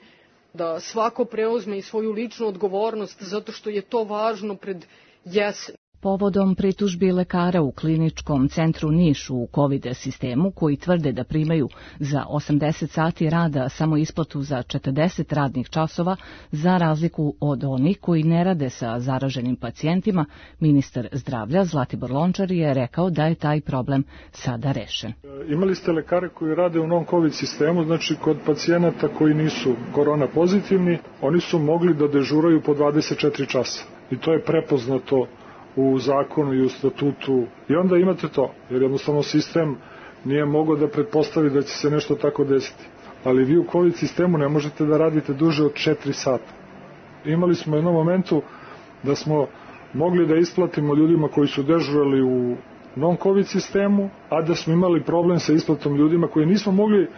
[SPEAKER 7] da svako preuzme i svoju ličnu odgovornost, zato što je to važno pred jesen.
[SPEAKER 6] Povodom pritužbi lekara u kliničkom centru Niš u COVID sistemu, koji tvrde da primaju za 80 sati rada samo isplatu za 40 radnih časova, za razliku od onih koji ne rade sa zaraženim pacijentima, ministar zdravlja Zlatibor Lončar je rekao da je taj problem sada rešen.
[SPEAKER 18] Imali ste lekare koji rade u non-COVID sistemu, znači kod pacijenata koji nisu korona pozitivni, oni su mogli da dežuraju po 24 časa. I to je prepoznato u zakonu i u statutu. I onda imate to, jer jednostavno sistem nije mogao da pretpostavi da će se nešto tako desiti. Ali vi u COVID sistemu ne možete da radite duže od 4 sata. Imali smo u jednom momentu da smo mogli da isplatimo ljudima koji su dežurali u non-COVID sistemu, a da smo imali problem sa isplatom ljudima koji nismo mogli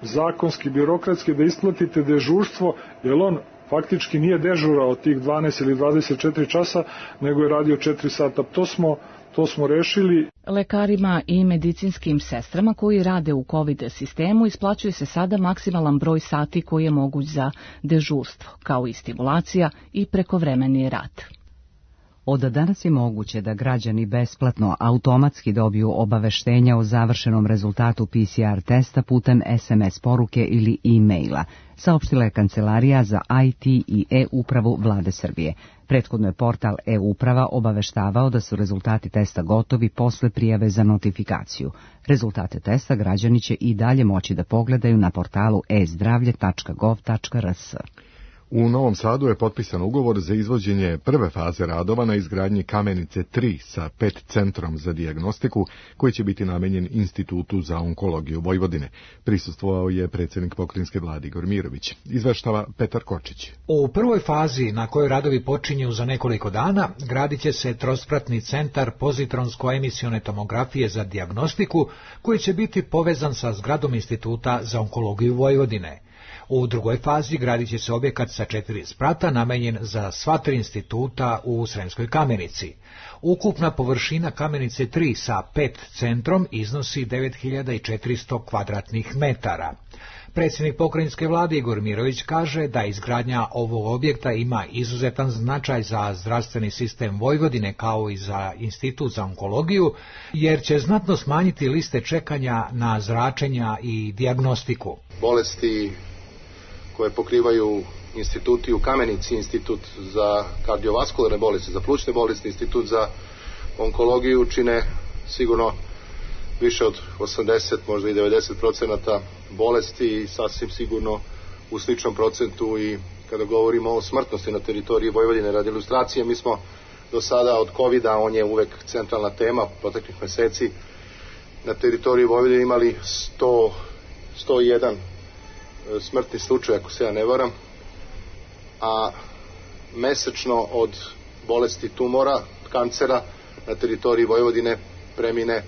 [SPEAKER 18] zakonski, birokratski da isplatite dežurstvo, jer on faktički nije dežurao tih 12 ili 24 časa, nego je radio 4 sata. To smo rešili.
[SPEAKER 6] Lekarima i medicinskim sestrama koji rade u COVID sistemu isplaćuje se sada maksimalan broj sati koji je moguć za dežurstvo, kao i stimulacija i prekovremeni rad.
[SPEAKER 1] Od danas je moguće da građani besplatno automatski dobiju obaveštenja o završenom rezultatu PCR testa putem SMS poruke ili e-maila, saopštila je Kancelarija za IT i e-upravu Vlade Srbije. Prethodno je portal e-uprava obaveštavao da su rezultati testa gotovi posle prijave za notifikaciju. Rezultate testa građani će i dalje moći da pogledaju na portalu e-zdravlje.gov.rs.
[SPEAKER 2] U Novom Sadu je potpisan ugovor za izvođenje prve faze radova na izgradnji Kamenice 3 sa 5 centrom za dijagnostiku, koji će biti namenjen Institutu za onkologiju Vojvodine. Prisustvovao je predsjednik pokrajinske vlade Igor Mirović. Izveštava Petar Kočić.
[SPEAKER 19] U prvoj fazi, na kojoj radovi počinju za nekoliko dana, gradit će se trospratni centar pozitronsko-emisione tomografije za dijagnostiku, koji će biti povezan sa zgradom Instituta za onkologiju Vojvodine. U drugoj fazi gradit će se objekat sa 4 sprata namenjen za sva 3 instituta u Sremskoj Kamenici. Ukupna površina Kamenice 3 sa 5 centrom iznosi 9400 kvadratnih metara. Predsjednik pokrajinske vlade Igor Mirović kaže da izgradnja ovog objekta ima izuzetan značaj za zdravstveni sistem Vojvodine kao i za Institut za onkologiju, jer će znatno smanjiti liste čekanja na zračenja i dijagnostiku.
[SPEAKER 20] Bolesti koje pokrivaju instituti u Kamenici, Institut za kardiovaskularne bolesti, za plućne bolesti, Institut za onkologiju čine sigurno više od 80, možda i 90% bolesti i sasvim sigurno u sličnom procentu i kada govorimo o smrtnosti na teritoriji Vojvodine. Radi ilustracije, mi smo do sada od COVID-a, on je uvek centralna tema proteklih meseci, na teritoriji Vojvodine imali 101 smrtni slučaj, ako se ja ne varam, a mesečno od bolesti tumora, kancera na teritoriji Vojvodine premine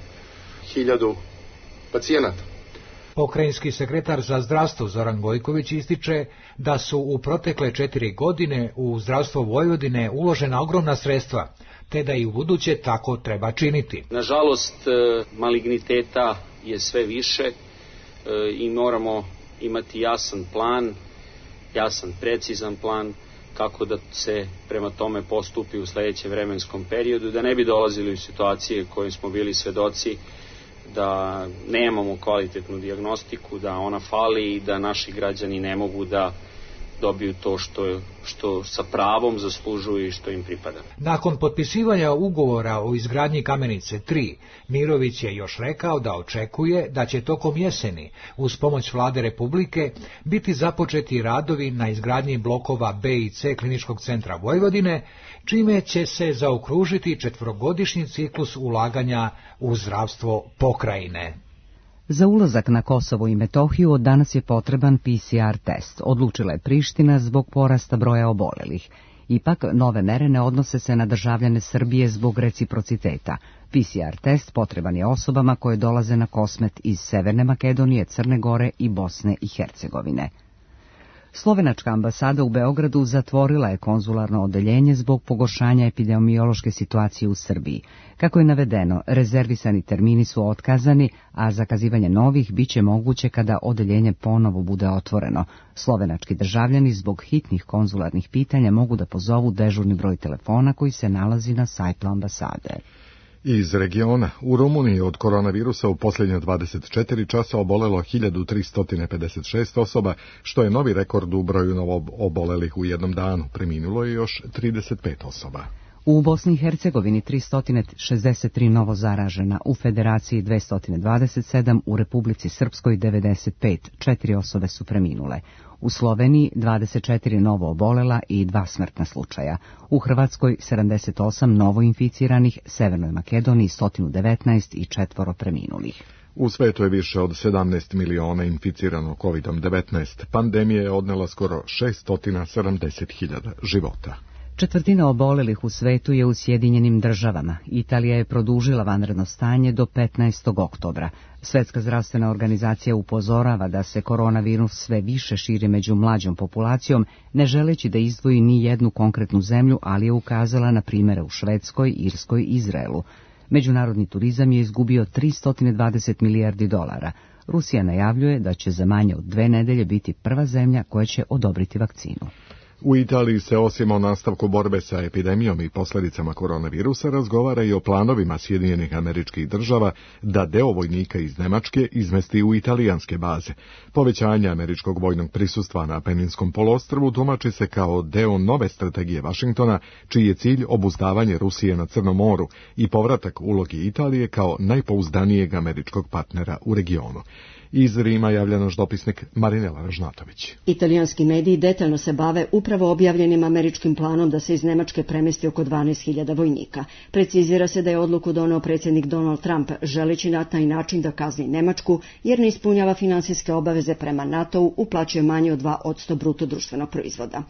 [SPEAKER 20] 1000 pacijenata.
[SPEAKER 19] Pokrajinski sekretar za zdravstvo Zoran Gojković ističe da su u protekle 4 godine u zdravstvo Vojvodine uložena ogromna sredstva, te da i u buduće tako treba činiti.
[SPEAKER 21] Nažalost, maligniteta je sve više i moramo imati jasan plan, jasan, precizan plan kako da se prema tome postupi u sledećem vremenskom periodu, da ne bi dolazili u situacije koje smo bili svedoci, da nemamo kvalitetnu dijagnostiku, da ona fali i da naši građani ne mogu da dobiju to što sa pravom zaslužuju i što im pripada.
[SPEAKER 19] Nakon potpisivanja ugovora o izgradnji Kamenice 3, Mirović je još rekao da očekuje da će tokom jeseni, uz pomoć Vlade Republike, biti započeti radovi na izgradnji blokova B i C Kliničkog centra Vojvodine, čime će se zaokružiti 4-godišnji ciklus ulaganja u zdravstvo pokrajine.
[SPEAKER 1] Za ulazak na Kosovo i Metohiju od danas je potreban PCR test, odlučila je Priština zbog porasta broja obolelih. Ipak, nove mere ne odnose se na državljane Srbije zbog reciprociteta. PCR test potreban je osobama koje dolaze na Kosmet iz Severne Makedonije, Crne Gore i Bosne i Hercegovine. Slovenačka ambasada u Beogradu zatvorila je konzularno odeljenje zbog pogoršanja epidemiološke situacije u Srbiji. Kako je navedeno, rezervisani termini su otkazani, a zakazivanje novih biće moguće kada odeljenje ponovo bude otvoreno. Slovenački državljani zbog hitnih konzularnih pitanja mogu da pozovu dežurni broj telefona koji se nalazi na sajtu ambasade.
[SPEAKER 2] Iz regiona, u Rumuniji od koronavirusa u posljednje 24 časa obolelo 1356 osoba, što je novi rekord u broju novoobolelih u jednom danu. Preminulo je još 35 osoba.
[SPEAKER 1] U Bosni i Hercegovini 363 novo zaražena, u Federaciji 227, u Republici Srpskoj 95, 4 osobe su preminule. U Sloveniji 24 novo obolela i 2 smrtna slučaja. U Hrvatskoj 78 novo inficiranih, Severnoj Makedoniji 119 i 4 preminulih.
[SPEAKER 2] U svetu je više od 17 miliona inficirano COVID-19. Pandemija je odnela skoro 670.000 života.
[SPEAKER 1] Četvrtina obolelih u svetu je u Sjedinjenim Državama. Italija je produžila vanredno stanje do 15. oktobra. Svjetska zdravstvena organizacija upozorava da se koronavirus sve više širi među mlađom populacijom, ne želeći da izdvoji ni jednu konkretnu zemlju, ali je ukazala na primjere u Švedskoj, Irskoj i Izraelu. Međunarodni turizam je izgubio 320 milijardi dolara. Rusija najavljuje da će za manje od 2 nedelje biti prva zemlja koja će odobriti vakcinu.
[SPEAKER 2] U Italiji se osim o nastavku borbe sa epidemijom i posljedicama koronavirusa razgovara i o planovima Sjedinjenih Američkih Država da deo vojnika iz Nemačke izmesti u italijanske baze. Povećanje američkog vojnog prisustva na Peninskom poluostrvu tumači se kao deo nove strategije Vašingtona, čiji je cilj obuzdavanje Rusije na Crnom moru i povratak ulogi Italije kao najpouzdanijeg američkog partnera u regionu. Iz Rima javlja naš dopisnik Marinela Ražnatović.
[SPEAKER 3] Italijanski mediji detaljno se bave upravo objavljenim američkim planom da se iz Nemačke premesti oko 12.000 vojnika. Precizira se da je odluku doneo predsjednik Donald Trump, želeći na taj način da kazni Nemačku, jer ne ispunjava finansijske obaveze prema NATO-u, uplaćuje manje od 2% bruto društvenog proizvoda.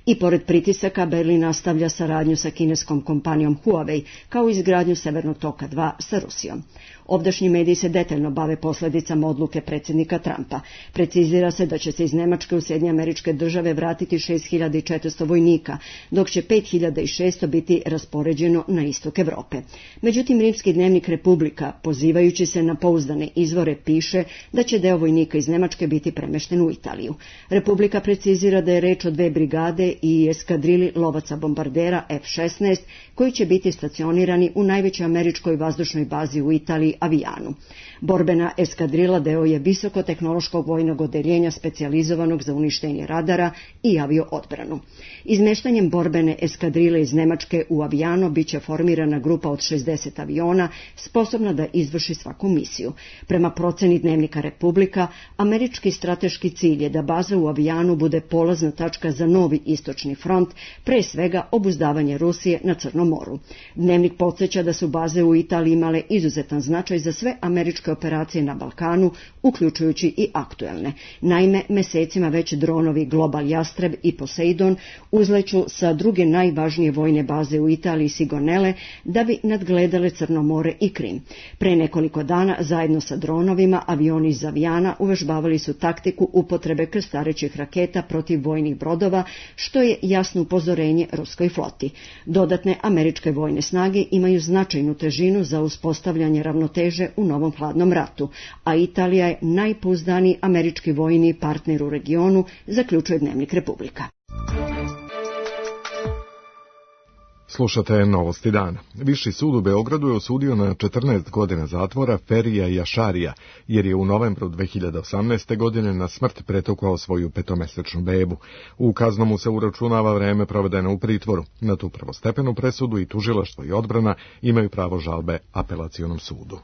[SPEAKER 3] I pored pritisaka, Berlin nastavlja saradnju sa kineskom kompanijom Huawei, kao i izgradnju Severnog toka 2 sa Rusijom. Ovdašnji mediji se detaljno bave posljedicama odluke predsjednika Trumpa. Precizira se da će se iz Nemačke u Sjedinjene Američke Države vratiti 6.400 vojnika, dok će 5.600 biti raspoređeno na istok Europe. Međutim, rimski dnevnik Republika, pozivajući se na pouzdane izvore, piše da će deo vojnika iz Nemačke biti premešten u Italiju. Republika precizira da je reč o 2 brigade i eskadrili lovaca bombardera F-16, koji će biti stacionirani u najvećoj američkoj vazdušnoj bazi u Italiji, Avijanu. Borbena eskadrila deo je visokotehnološkog vojnog odeljenja specijalizovanog za uništenje radara i avioodbranu. Izmeštanjem borbene eskadrile iz Nemačke u Avijano biće formirana grupa od 60 aviona sposobna da izvrši svaku misiju. Prema proceni dnevnika Republika, američki strateški cilj je da baza u Avijanu bude polazna tačka za novi istočni front, pre svega obuzdavanje Rusije na Crnom moru. Dnevnik podsjeća da su baze u Italiji imale izuzetan značaj za sve američke operacije na Balkanu, uključujući i aktuelne. Naime, mesecima već dronovi Global Jastreb i Poseidon uzleću sa druge najvažnije vojne baze u Italiji, Sigonelle, da bi nadgledale Crno more i Krim. Pre nekoliko dana, zajedno sa dronovima, avioni iz Avijana uvežbavali su taktiku upotrebe krstarećih raketa protiv vojnih brodova, što je jasno upozorenje ruskoj floti. Dodatne američke vojne snage imaju značajnu težinu za uspostavljanje ravnoteže u novom hladnom ratu, a Italija je najpouzdaniji američki vojni partner u regionu, zaključuje dnevnik Republika.
[SPEAKER 2] Slušate Novosti dana. Viši sud u Beogradu je osudio na 14 godina zatvora Ferija Jašarija, jer je u novembru 2018. godine na smrt pretukao svoju 5-mesečnu bebu. U kaznu mu se uračunava vreme provedeno u pritvoru. Na tu prvostepenu presudu i tužilaštvo i odbrana imaju pravo žalbe apelacionom sudu.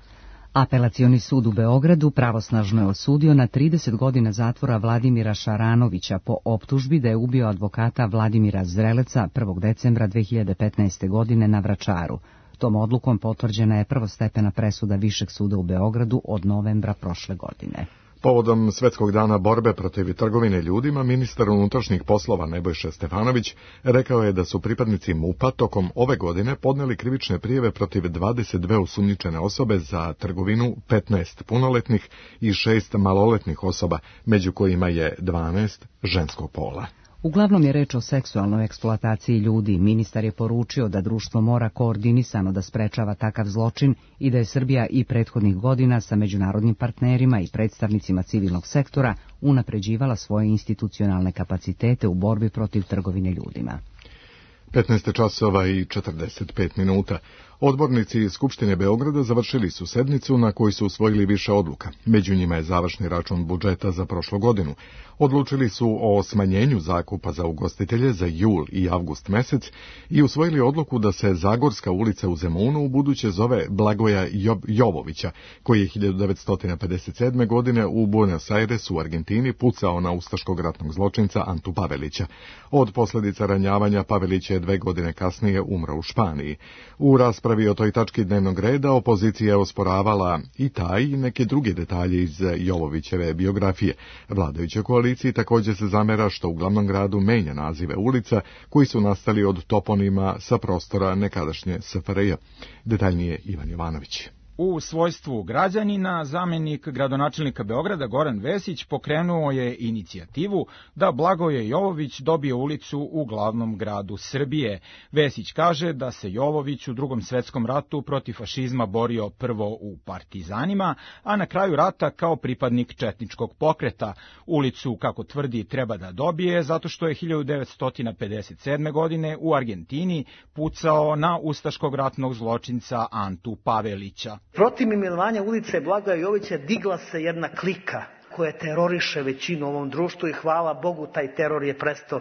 [SPEAKER 1] Apelacioni sud u Beogradu pravosnažno je osudio na 30 godina zatvora Vladimira Šaranovića po optužbi da je ubio advokata Vladimira Zreleca 1. decembra 2015. godine na Vračaru. Tom odlukom potvrđena je prvostepena presuda Višeg suda u Beogradu od novembra prošle godine.
[SPEAKER 2] Povodom Svetskog dana borbe protiv trgovine ljudima, ministar unutrašnjih poslova Nebojša Stefanović rekao je da su pripadnici MUP-a tokom ove godine podneli krivične prijave protiv 22 osumnjičene osobe za trgovinu, 15 punoletnih i 6 maloletnih osoba, među kojima je 12 ženskog pola.
[SPEAKER 1] Uglavnom je reč o seksualnoj eksploataciji ljudi. Ministar je poručio da društvo mora koordinisano da sprečava takav zločin i da je Srbija i prethodnih godina sa međunarodnim partnerima i predstavnicima civilnog sektora unapređivala svoje institucionalne kapacitete u borbi protiv trgovine ljudima.
[SPEAKER 2] 15 časova i 45 minuta. Odbornici Skupštine Beograda završili su sednicu na kojoj su usvojili više odluka. Među njima je završni račun budžeta za prošlu godinu. Odlučili su o smanjenju zakupa za ugostitelje za jul i avgust mesec i usvojili odluku da se Zagorska ulica u Zemunu ubuduće zove Blagoja Jovovića, koji je 1957. godine u Buenos Airesu u Argentini pucao na ustaškog ratnog zločinca Antu Pavelića. Od posljedica ranjavanja Pavelić je 2 godine kasnije umro u Španiji. U raspravi o toj tački dnevnog reda opozicija je osporavala i taj i neke druge detalje iz Jovovićeve biografije. Vladajuća koaliciji također se zamera što u glavnom gradu menja nazive ulica koji su nastali od toponima sa prostora nekadašnje SFRJ. Detaljnije Ivan Jovanović.
[SPEAKER 4] U svojstvu građanina, zamenik gradonačelnika Beograda Goran Vesić pokrenuo je inicijativu da Blagoje Jovović dobije ulicu u glavnom gradu Srbije. Vesić kaže da se Jovović u Drugom svetskom ratu protiv fašizma borio prvo u partizanima, a na kraju rata kao pripadnik četničkog pokreta. Ulicu, kako tvrdi, treba da dobije zato što je 1957. godine u Argentini pucao na ustaškog ratnog zločinca Antu Pavelića.
[SPEAKER 22] Protiv imenovanja ulice Blagoja Jovovića digla se jedna klika koja teroriše većinu u ovom društvu i hvala Bogu taj teror je prestao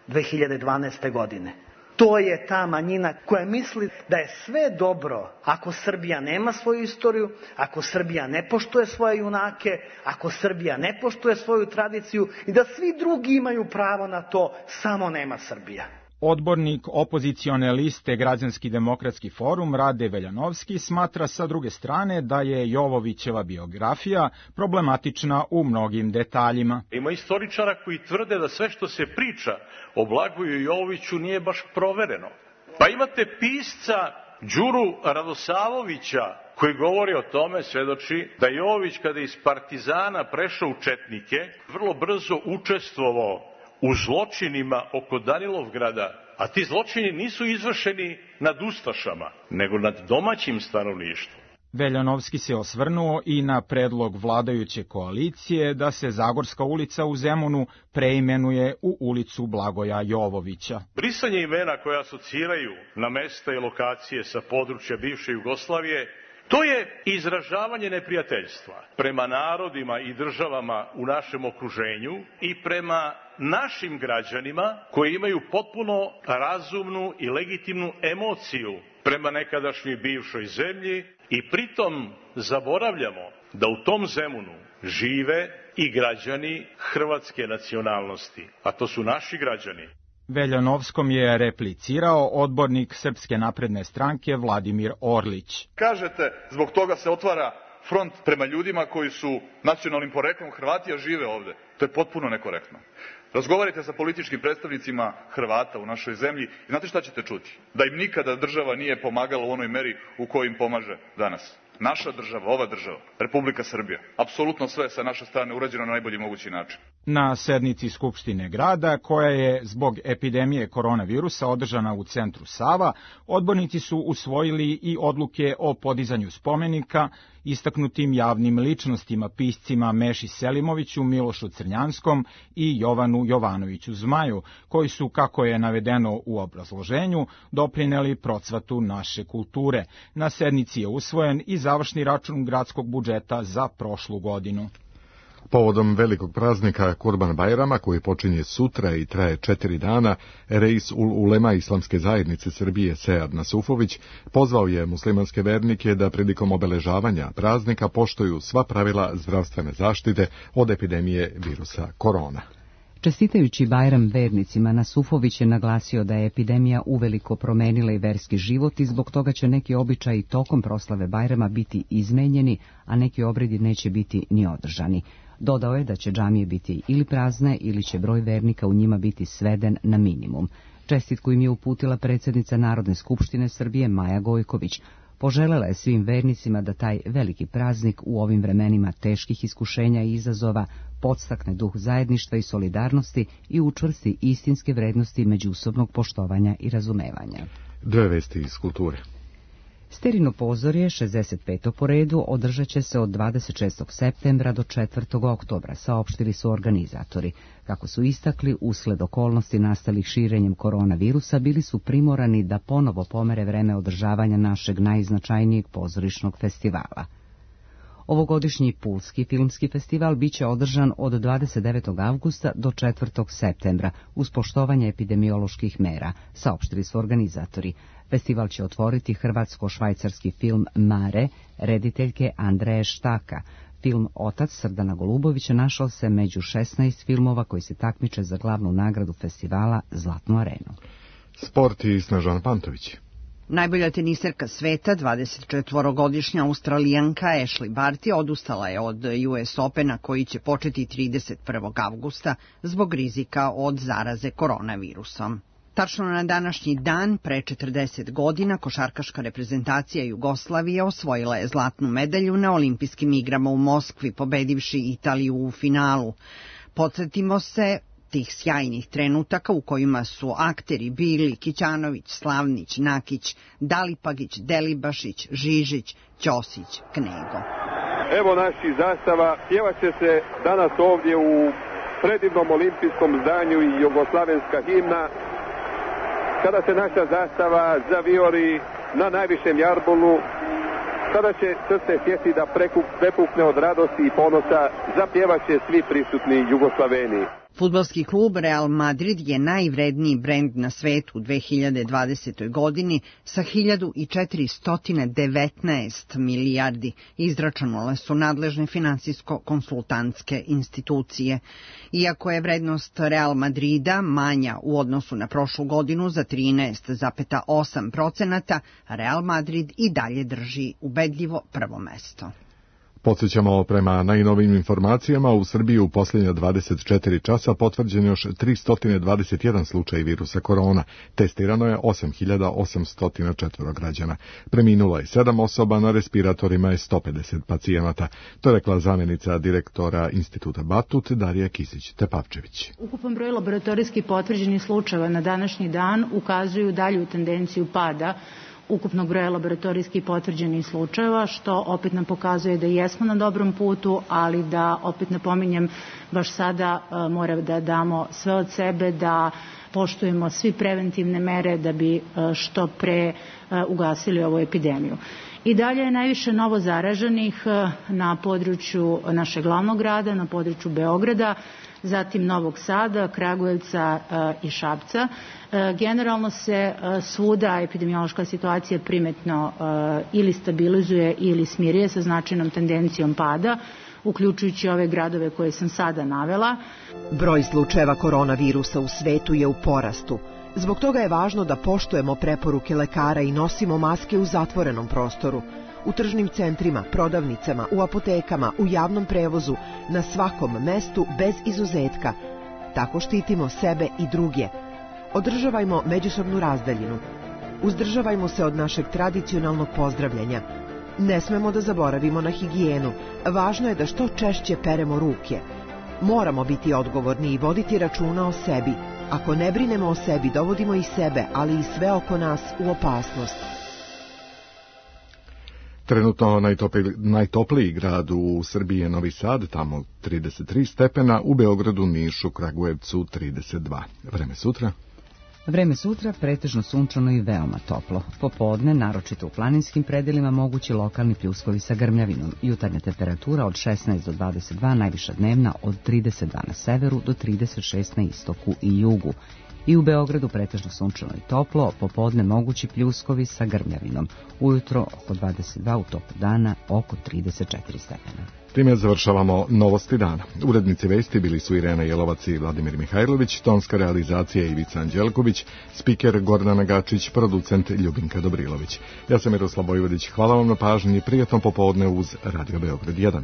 [SPEAKER 22] 2012. godine. To je ta manjina koja misli da je sve dobro ako Srbija nema svoju istoriju, ako Srbija ne poštuje svoje junake, ako Srbija ne poštuje svoju tradiciju i da svi drugi imaju pravo na to, samo nema Srbija.
[SPEAKER 4] Odbornik opozicione liste Građanski demokratski forum Rade Veljanovski smatra sa druge strane da je Jovovićeva biografija problematična u mnogim detaljima.
[SPEAKER 23] Ima istoričara koji tvrde da sve što se priča o Blagoju Jovoviću nije baš provereno. Pa imate pisca Đuru Radosavovića koji govori o tome, svedoči da Jovović kada je iz partizana prešao u četnike, vrlo brzo učestvovao u zločinima oko Danilovgrada, a ti zločini nisu izvršeni nad ustašama, nego nad domaćim stanovništvom.
[SPEAKER 4] Veljanovski se osvrnuo i na predlog vladajuće koalicije da se Zagorska ulica u Zemunu preimenuje u ulicu Blagoja Jovovića.
[SPEAKER 23] Brisanje imena koje asociraju na mesta i lokacije sa područja bivše Jugoslavije, to je izražavanje neprijateljstva prema narodima i državama u našem okruženju i prema našim građanima koji imaju potpuno razumnu i legitimnu emociju prema nekadašnjoj bivšoj zemlji i pritom zaboravljamo da u tom Zemunu žive i građani hrvatske nacionalnosti, a to su naši građani.
[SPEAKER 4] Veljanovskom je replicirao odbornik Srpske napredne stranke Vladimir Orlić.
[SPEAKER 24] Kažete, zbog toga se otvara front prema ljudima koji su nacionalnim poreklom Hrvati, a žive ovde. To je potpuno nekorektno. Razgovarajte sa političkim predstavnicima Hrvata u našoj zemlji i znate šta ćete čuti? Da im nikada država nije pomagala u onoj meri u kojoj im pomaže danas. Naša država, ova država, Republika Srbija, apsolutno sve sa naše strane urađeno na najbolji mogući način.
[SPEAKER 4] Na sednici Skupštine grada, koja je zbog epidemije koronavirusa održana u centru Sava, odbornici su usvojili i odluke o podizanju spomenika istaknutim javnim ličnostima, piscima Meši Selimoviću, Milošu Crnjanskom i Jovanu Jovanoviću Zmaju, koji su, kako je navedeno u obrazloženju, doprineli procvatu naše kulture. Na sednici je usvojen i završni račun gradskog budžeta za prošlu godinu.
[SPEAKER 2] Povodom velikog praznika Kurban Bajrama, koji počinje sutra i traje 4 dana, Reis Ulema Islamske zajednice Srbije Sead Nasufović pozvao je muslimanske vernike da prilikom obeležavanja praznika poštuju sva pravila zdravstvene zaštite od epidemije virusa korona.
[SPEAKER 1] Čestitajući Bajram vernicima, Nasufović je naglasio da je epidemija uveliko promenila i verski život i zbog toga će neki običaji tokom proslave Bajrama biti izmenjeni, a neki obredi neće biti ni održani. Dodao je da će džamije biti ili prazne ili će broj vernika u njima biti sveden na minimum. Čestitku im je uputila predsjednica Narodne skupštine Srbije Maja Gojković. Poželela je svim vernicima da taj veliki praznik u ovim vremenima teških iskušenja i izazova podstakne duh zajedništva i solidarnosti i učvrsti istinske vrednosti međusobnog poštovanja i razumevanja.
[SPEAKER 2] Dve vesti iz kulture.
[SPEAKER 1] Sterino pozorje, 65. po redu, održat će se od 26. septembra do 4. oktobra, saopštili su organizatori. Kako su istakli, usled okolnosti nastalih širenjem koronavirusa, bili su primorani da ponovo pomere vreme održavanja našeg najznačajnijeg pozorišnog festivala. Ovogodišnji Pulski filmski festival biće održan od 29. avgusta do 4. septembra uz poštovanje epidemioloških mera, saopštili su organizatori. Festival će otvoriti hrvatsko-švajcarski film Mare, rediteljke Andreje Štaka. Film Otac Srdana Golubovića našao se među 16 filmova koji se takmiče za glavnu nagradu festivala Zlatnu arenu.
[SPEAKER 2] Sport i Snežana Pantović.
[SPEAKER 5] Najbolja teniserka sveta, 24-godišnja Australijanka Ashley Barty, odustala je od US Opena koji će početi 31. avgusta zbog rizika od zaraze koronavirusom. Tačno na današnji dan, pre 40 godina, košarkaška reprezentacija Jugoslavije osvojila je zlatnu medalju na olimpijskim igrama u Moskvi, pobedivši Italiju u finalu. Podsjetimo se tih sjajnih trenutaka u kojima su akteri bili Kićanović, Slavnić, Nakić, Dalipagić, Delibašić, Žižić, Ćosić, Knego.
[SPEAKER 11] Evo naših zastava, pjevat će se danas ovdje u predivnom olimpijskom zdanju i jugoslavenska himna. Kada se naša zastava zavijori na najvišem jarbolu, tada će srce sjeti da prepukne od radosti i ponosa, zapjevat će svi prisutni Jugoslaveni.
[SPEAKER 5] Fudbalski klub Real Madrid je najvredniji brend na svetu u 2020. godini sa 1419 milijardi, izračunale su nadležne finansijsko-konsultantske institucije. Iako je vrednost Real Madrida manja u odnosu na prošlu godinu za 13,8%, Real Madrid i dalje drži ubedljivo prvo mesto.
[SPEAKER 2] Podsjećamo, prema najnovijim informacijama, u Srbiji u posljednja 24 časa potvrđen još 321 slučaj virusa korona. Testirano je 8804 građana. Preminulo je 7 osoba, na respiratorima je 150 pacijenata. To je rekla zamjenica direktora Instituta Batut Darija Kisić-Tepavčević.
[SPEAKER 8] Ukupan broj laboratorijski potvrđenih slučajeva na današnji dan ukazuju dalju tendenciju pada ukupnog broja laboratorijskih potvrđenih slučajeva, što opet nam pokazuje da jesmo na dobrom putu, ali da, opet napominjem, baš sada mora da damo sve od sebe, da poštujemo svi preventivne mere da bi što pre ugasili ovu epidemiju. I dalje je najviše novo zaraženih na području našeg glavnog grada, na području Beograda, zatim Novog Sada, Kragujevca i Šapca. Generalno se svuda epidemiološka situacija primetno ili stabilizuje ili smiruje sa značajnom tendencijom pada, uključujući ove gradove koje sam sada navela.
[SPEAKER 12] Broj slučajeva koronavirusa u svetu je u porastu. Zbog toga je važno da poštujemo preporuke lekara i nosimo maske u zatvorenom prostoru, u tržnim centrima, prodavnicama, u apotekama, u javnom prevozu, na svakom mestu bez izuzetka. Tako štitimo sebe i druge. Održavajmo međusobnu razdaljinu. Uzdržavajmo se od našeg tradicionalnog pozdravljanja. Ne smemo da zaboravimo na higijenu. Važno je da što češće peremo ruke. Moramo biti odgovorni i voditi računa o sebi. Ako ne brinemo o sebi, dovodimo i sebe, ali i sve oko nas u opasnost.
[SPEAKER 2] Trenutno najtopliji grad u Srbiji je Novi Sad, tamo 33 stepena, u Beogradu, Nišu, Kragujevcu 32. Vreme sutra?
[SPEAKER 1] Vreme sutra pretežno sunčano i veoma toplo. Popodne, naročito u planinskim predelima, mogući lokalni pljuskovi sa grmljavinom. Jutarnja temperatura od 16 do 22, najviša dnevna od 32 na severu do 36 na istoku i jugu. I u Beogradu pretežno sunčano i toplo, popodne mogući pljuskovi sa grmljavinom. Ujutro oko 22, u toku dana oko 34 stepena.
[SPEAKER 2] Time završavamo novosti dana. Urednici vesti bili su Irena Jelovac i Vladimir Mihajlović, tonska realizacija Ivica Anđelković, spiker Gordana Gačić, producent Ljubinka Dobrilović. Ja sam Miroslav Bojvodić, hvala vam na pažnji, prijatno popodne uz Radio Beograd 1.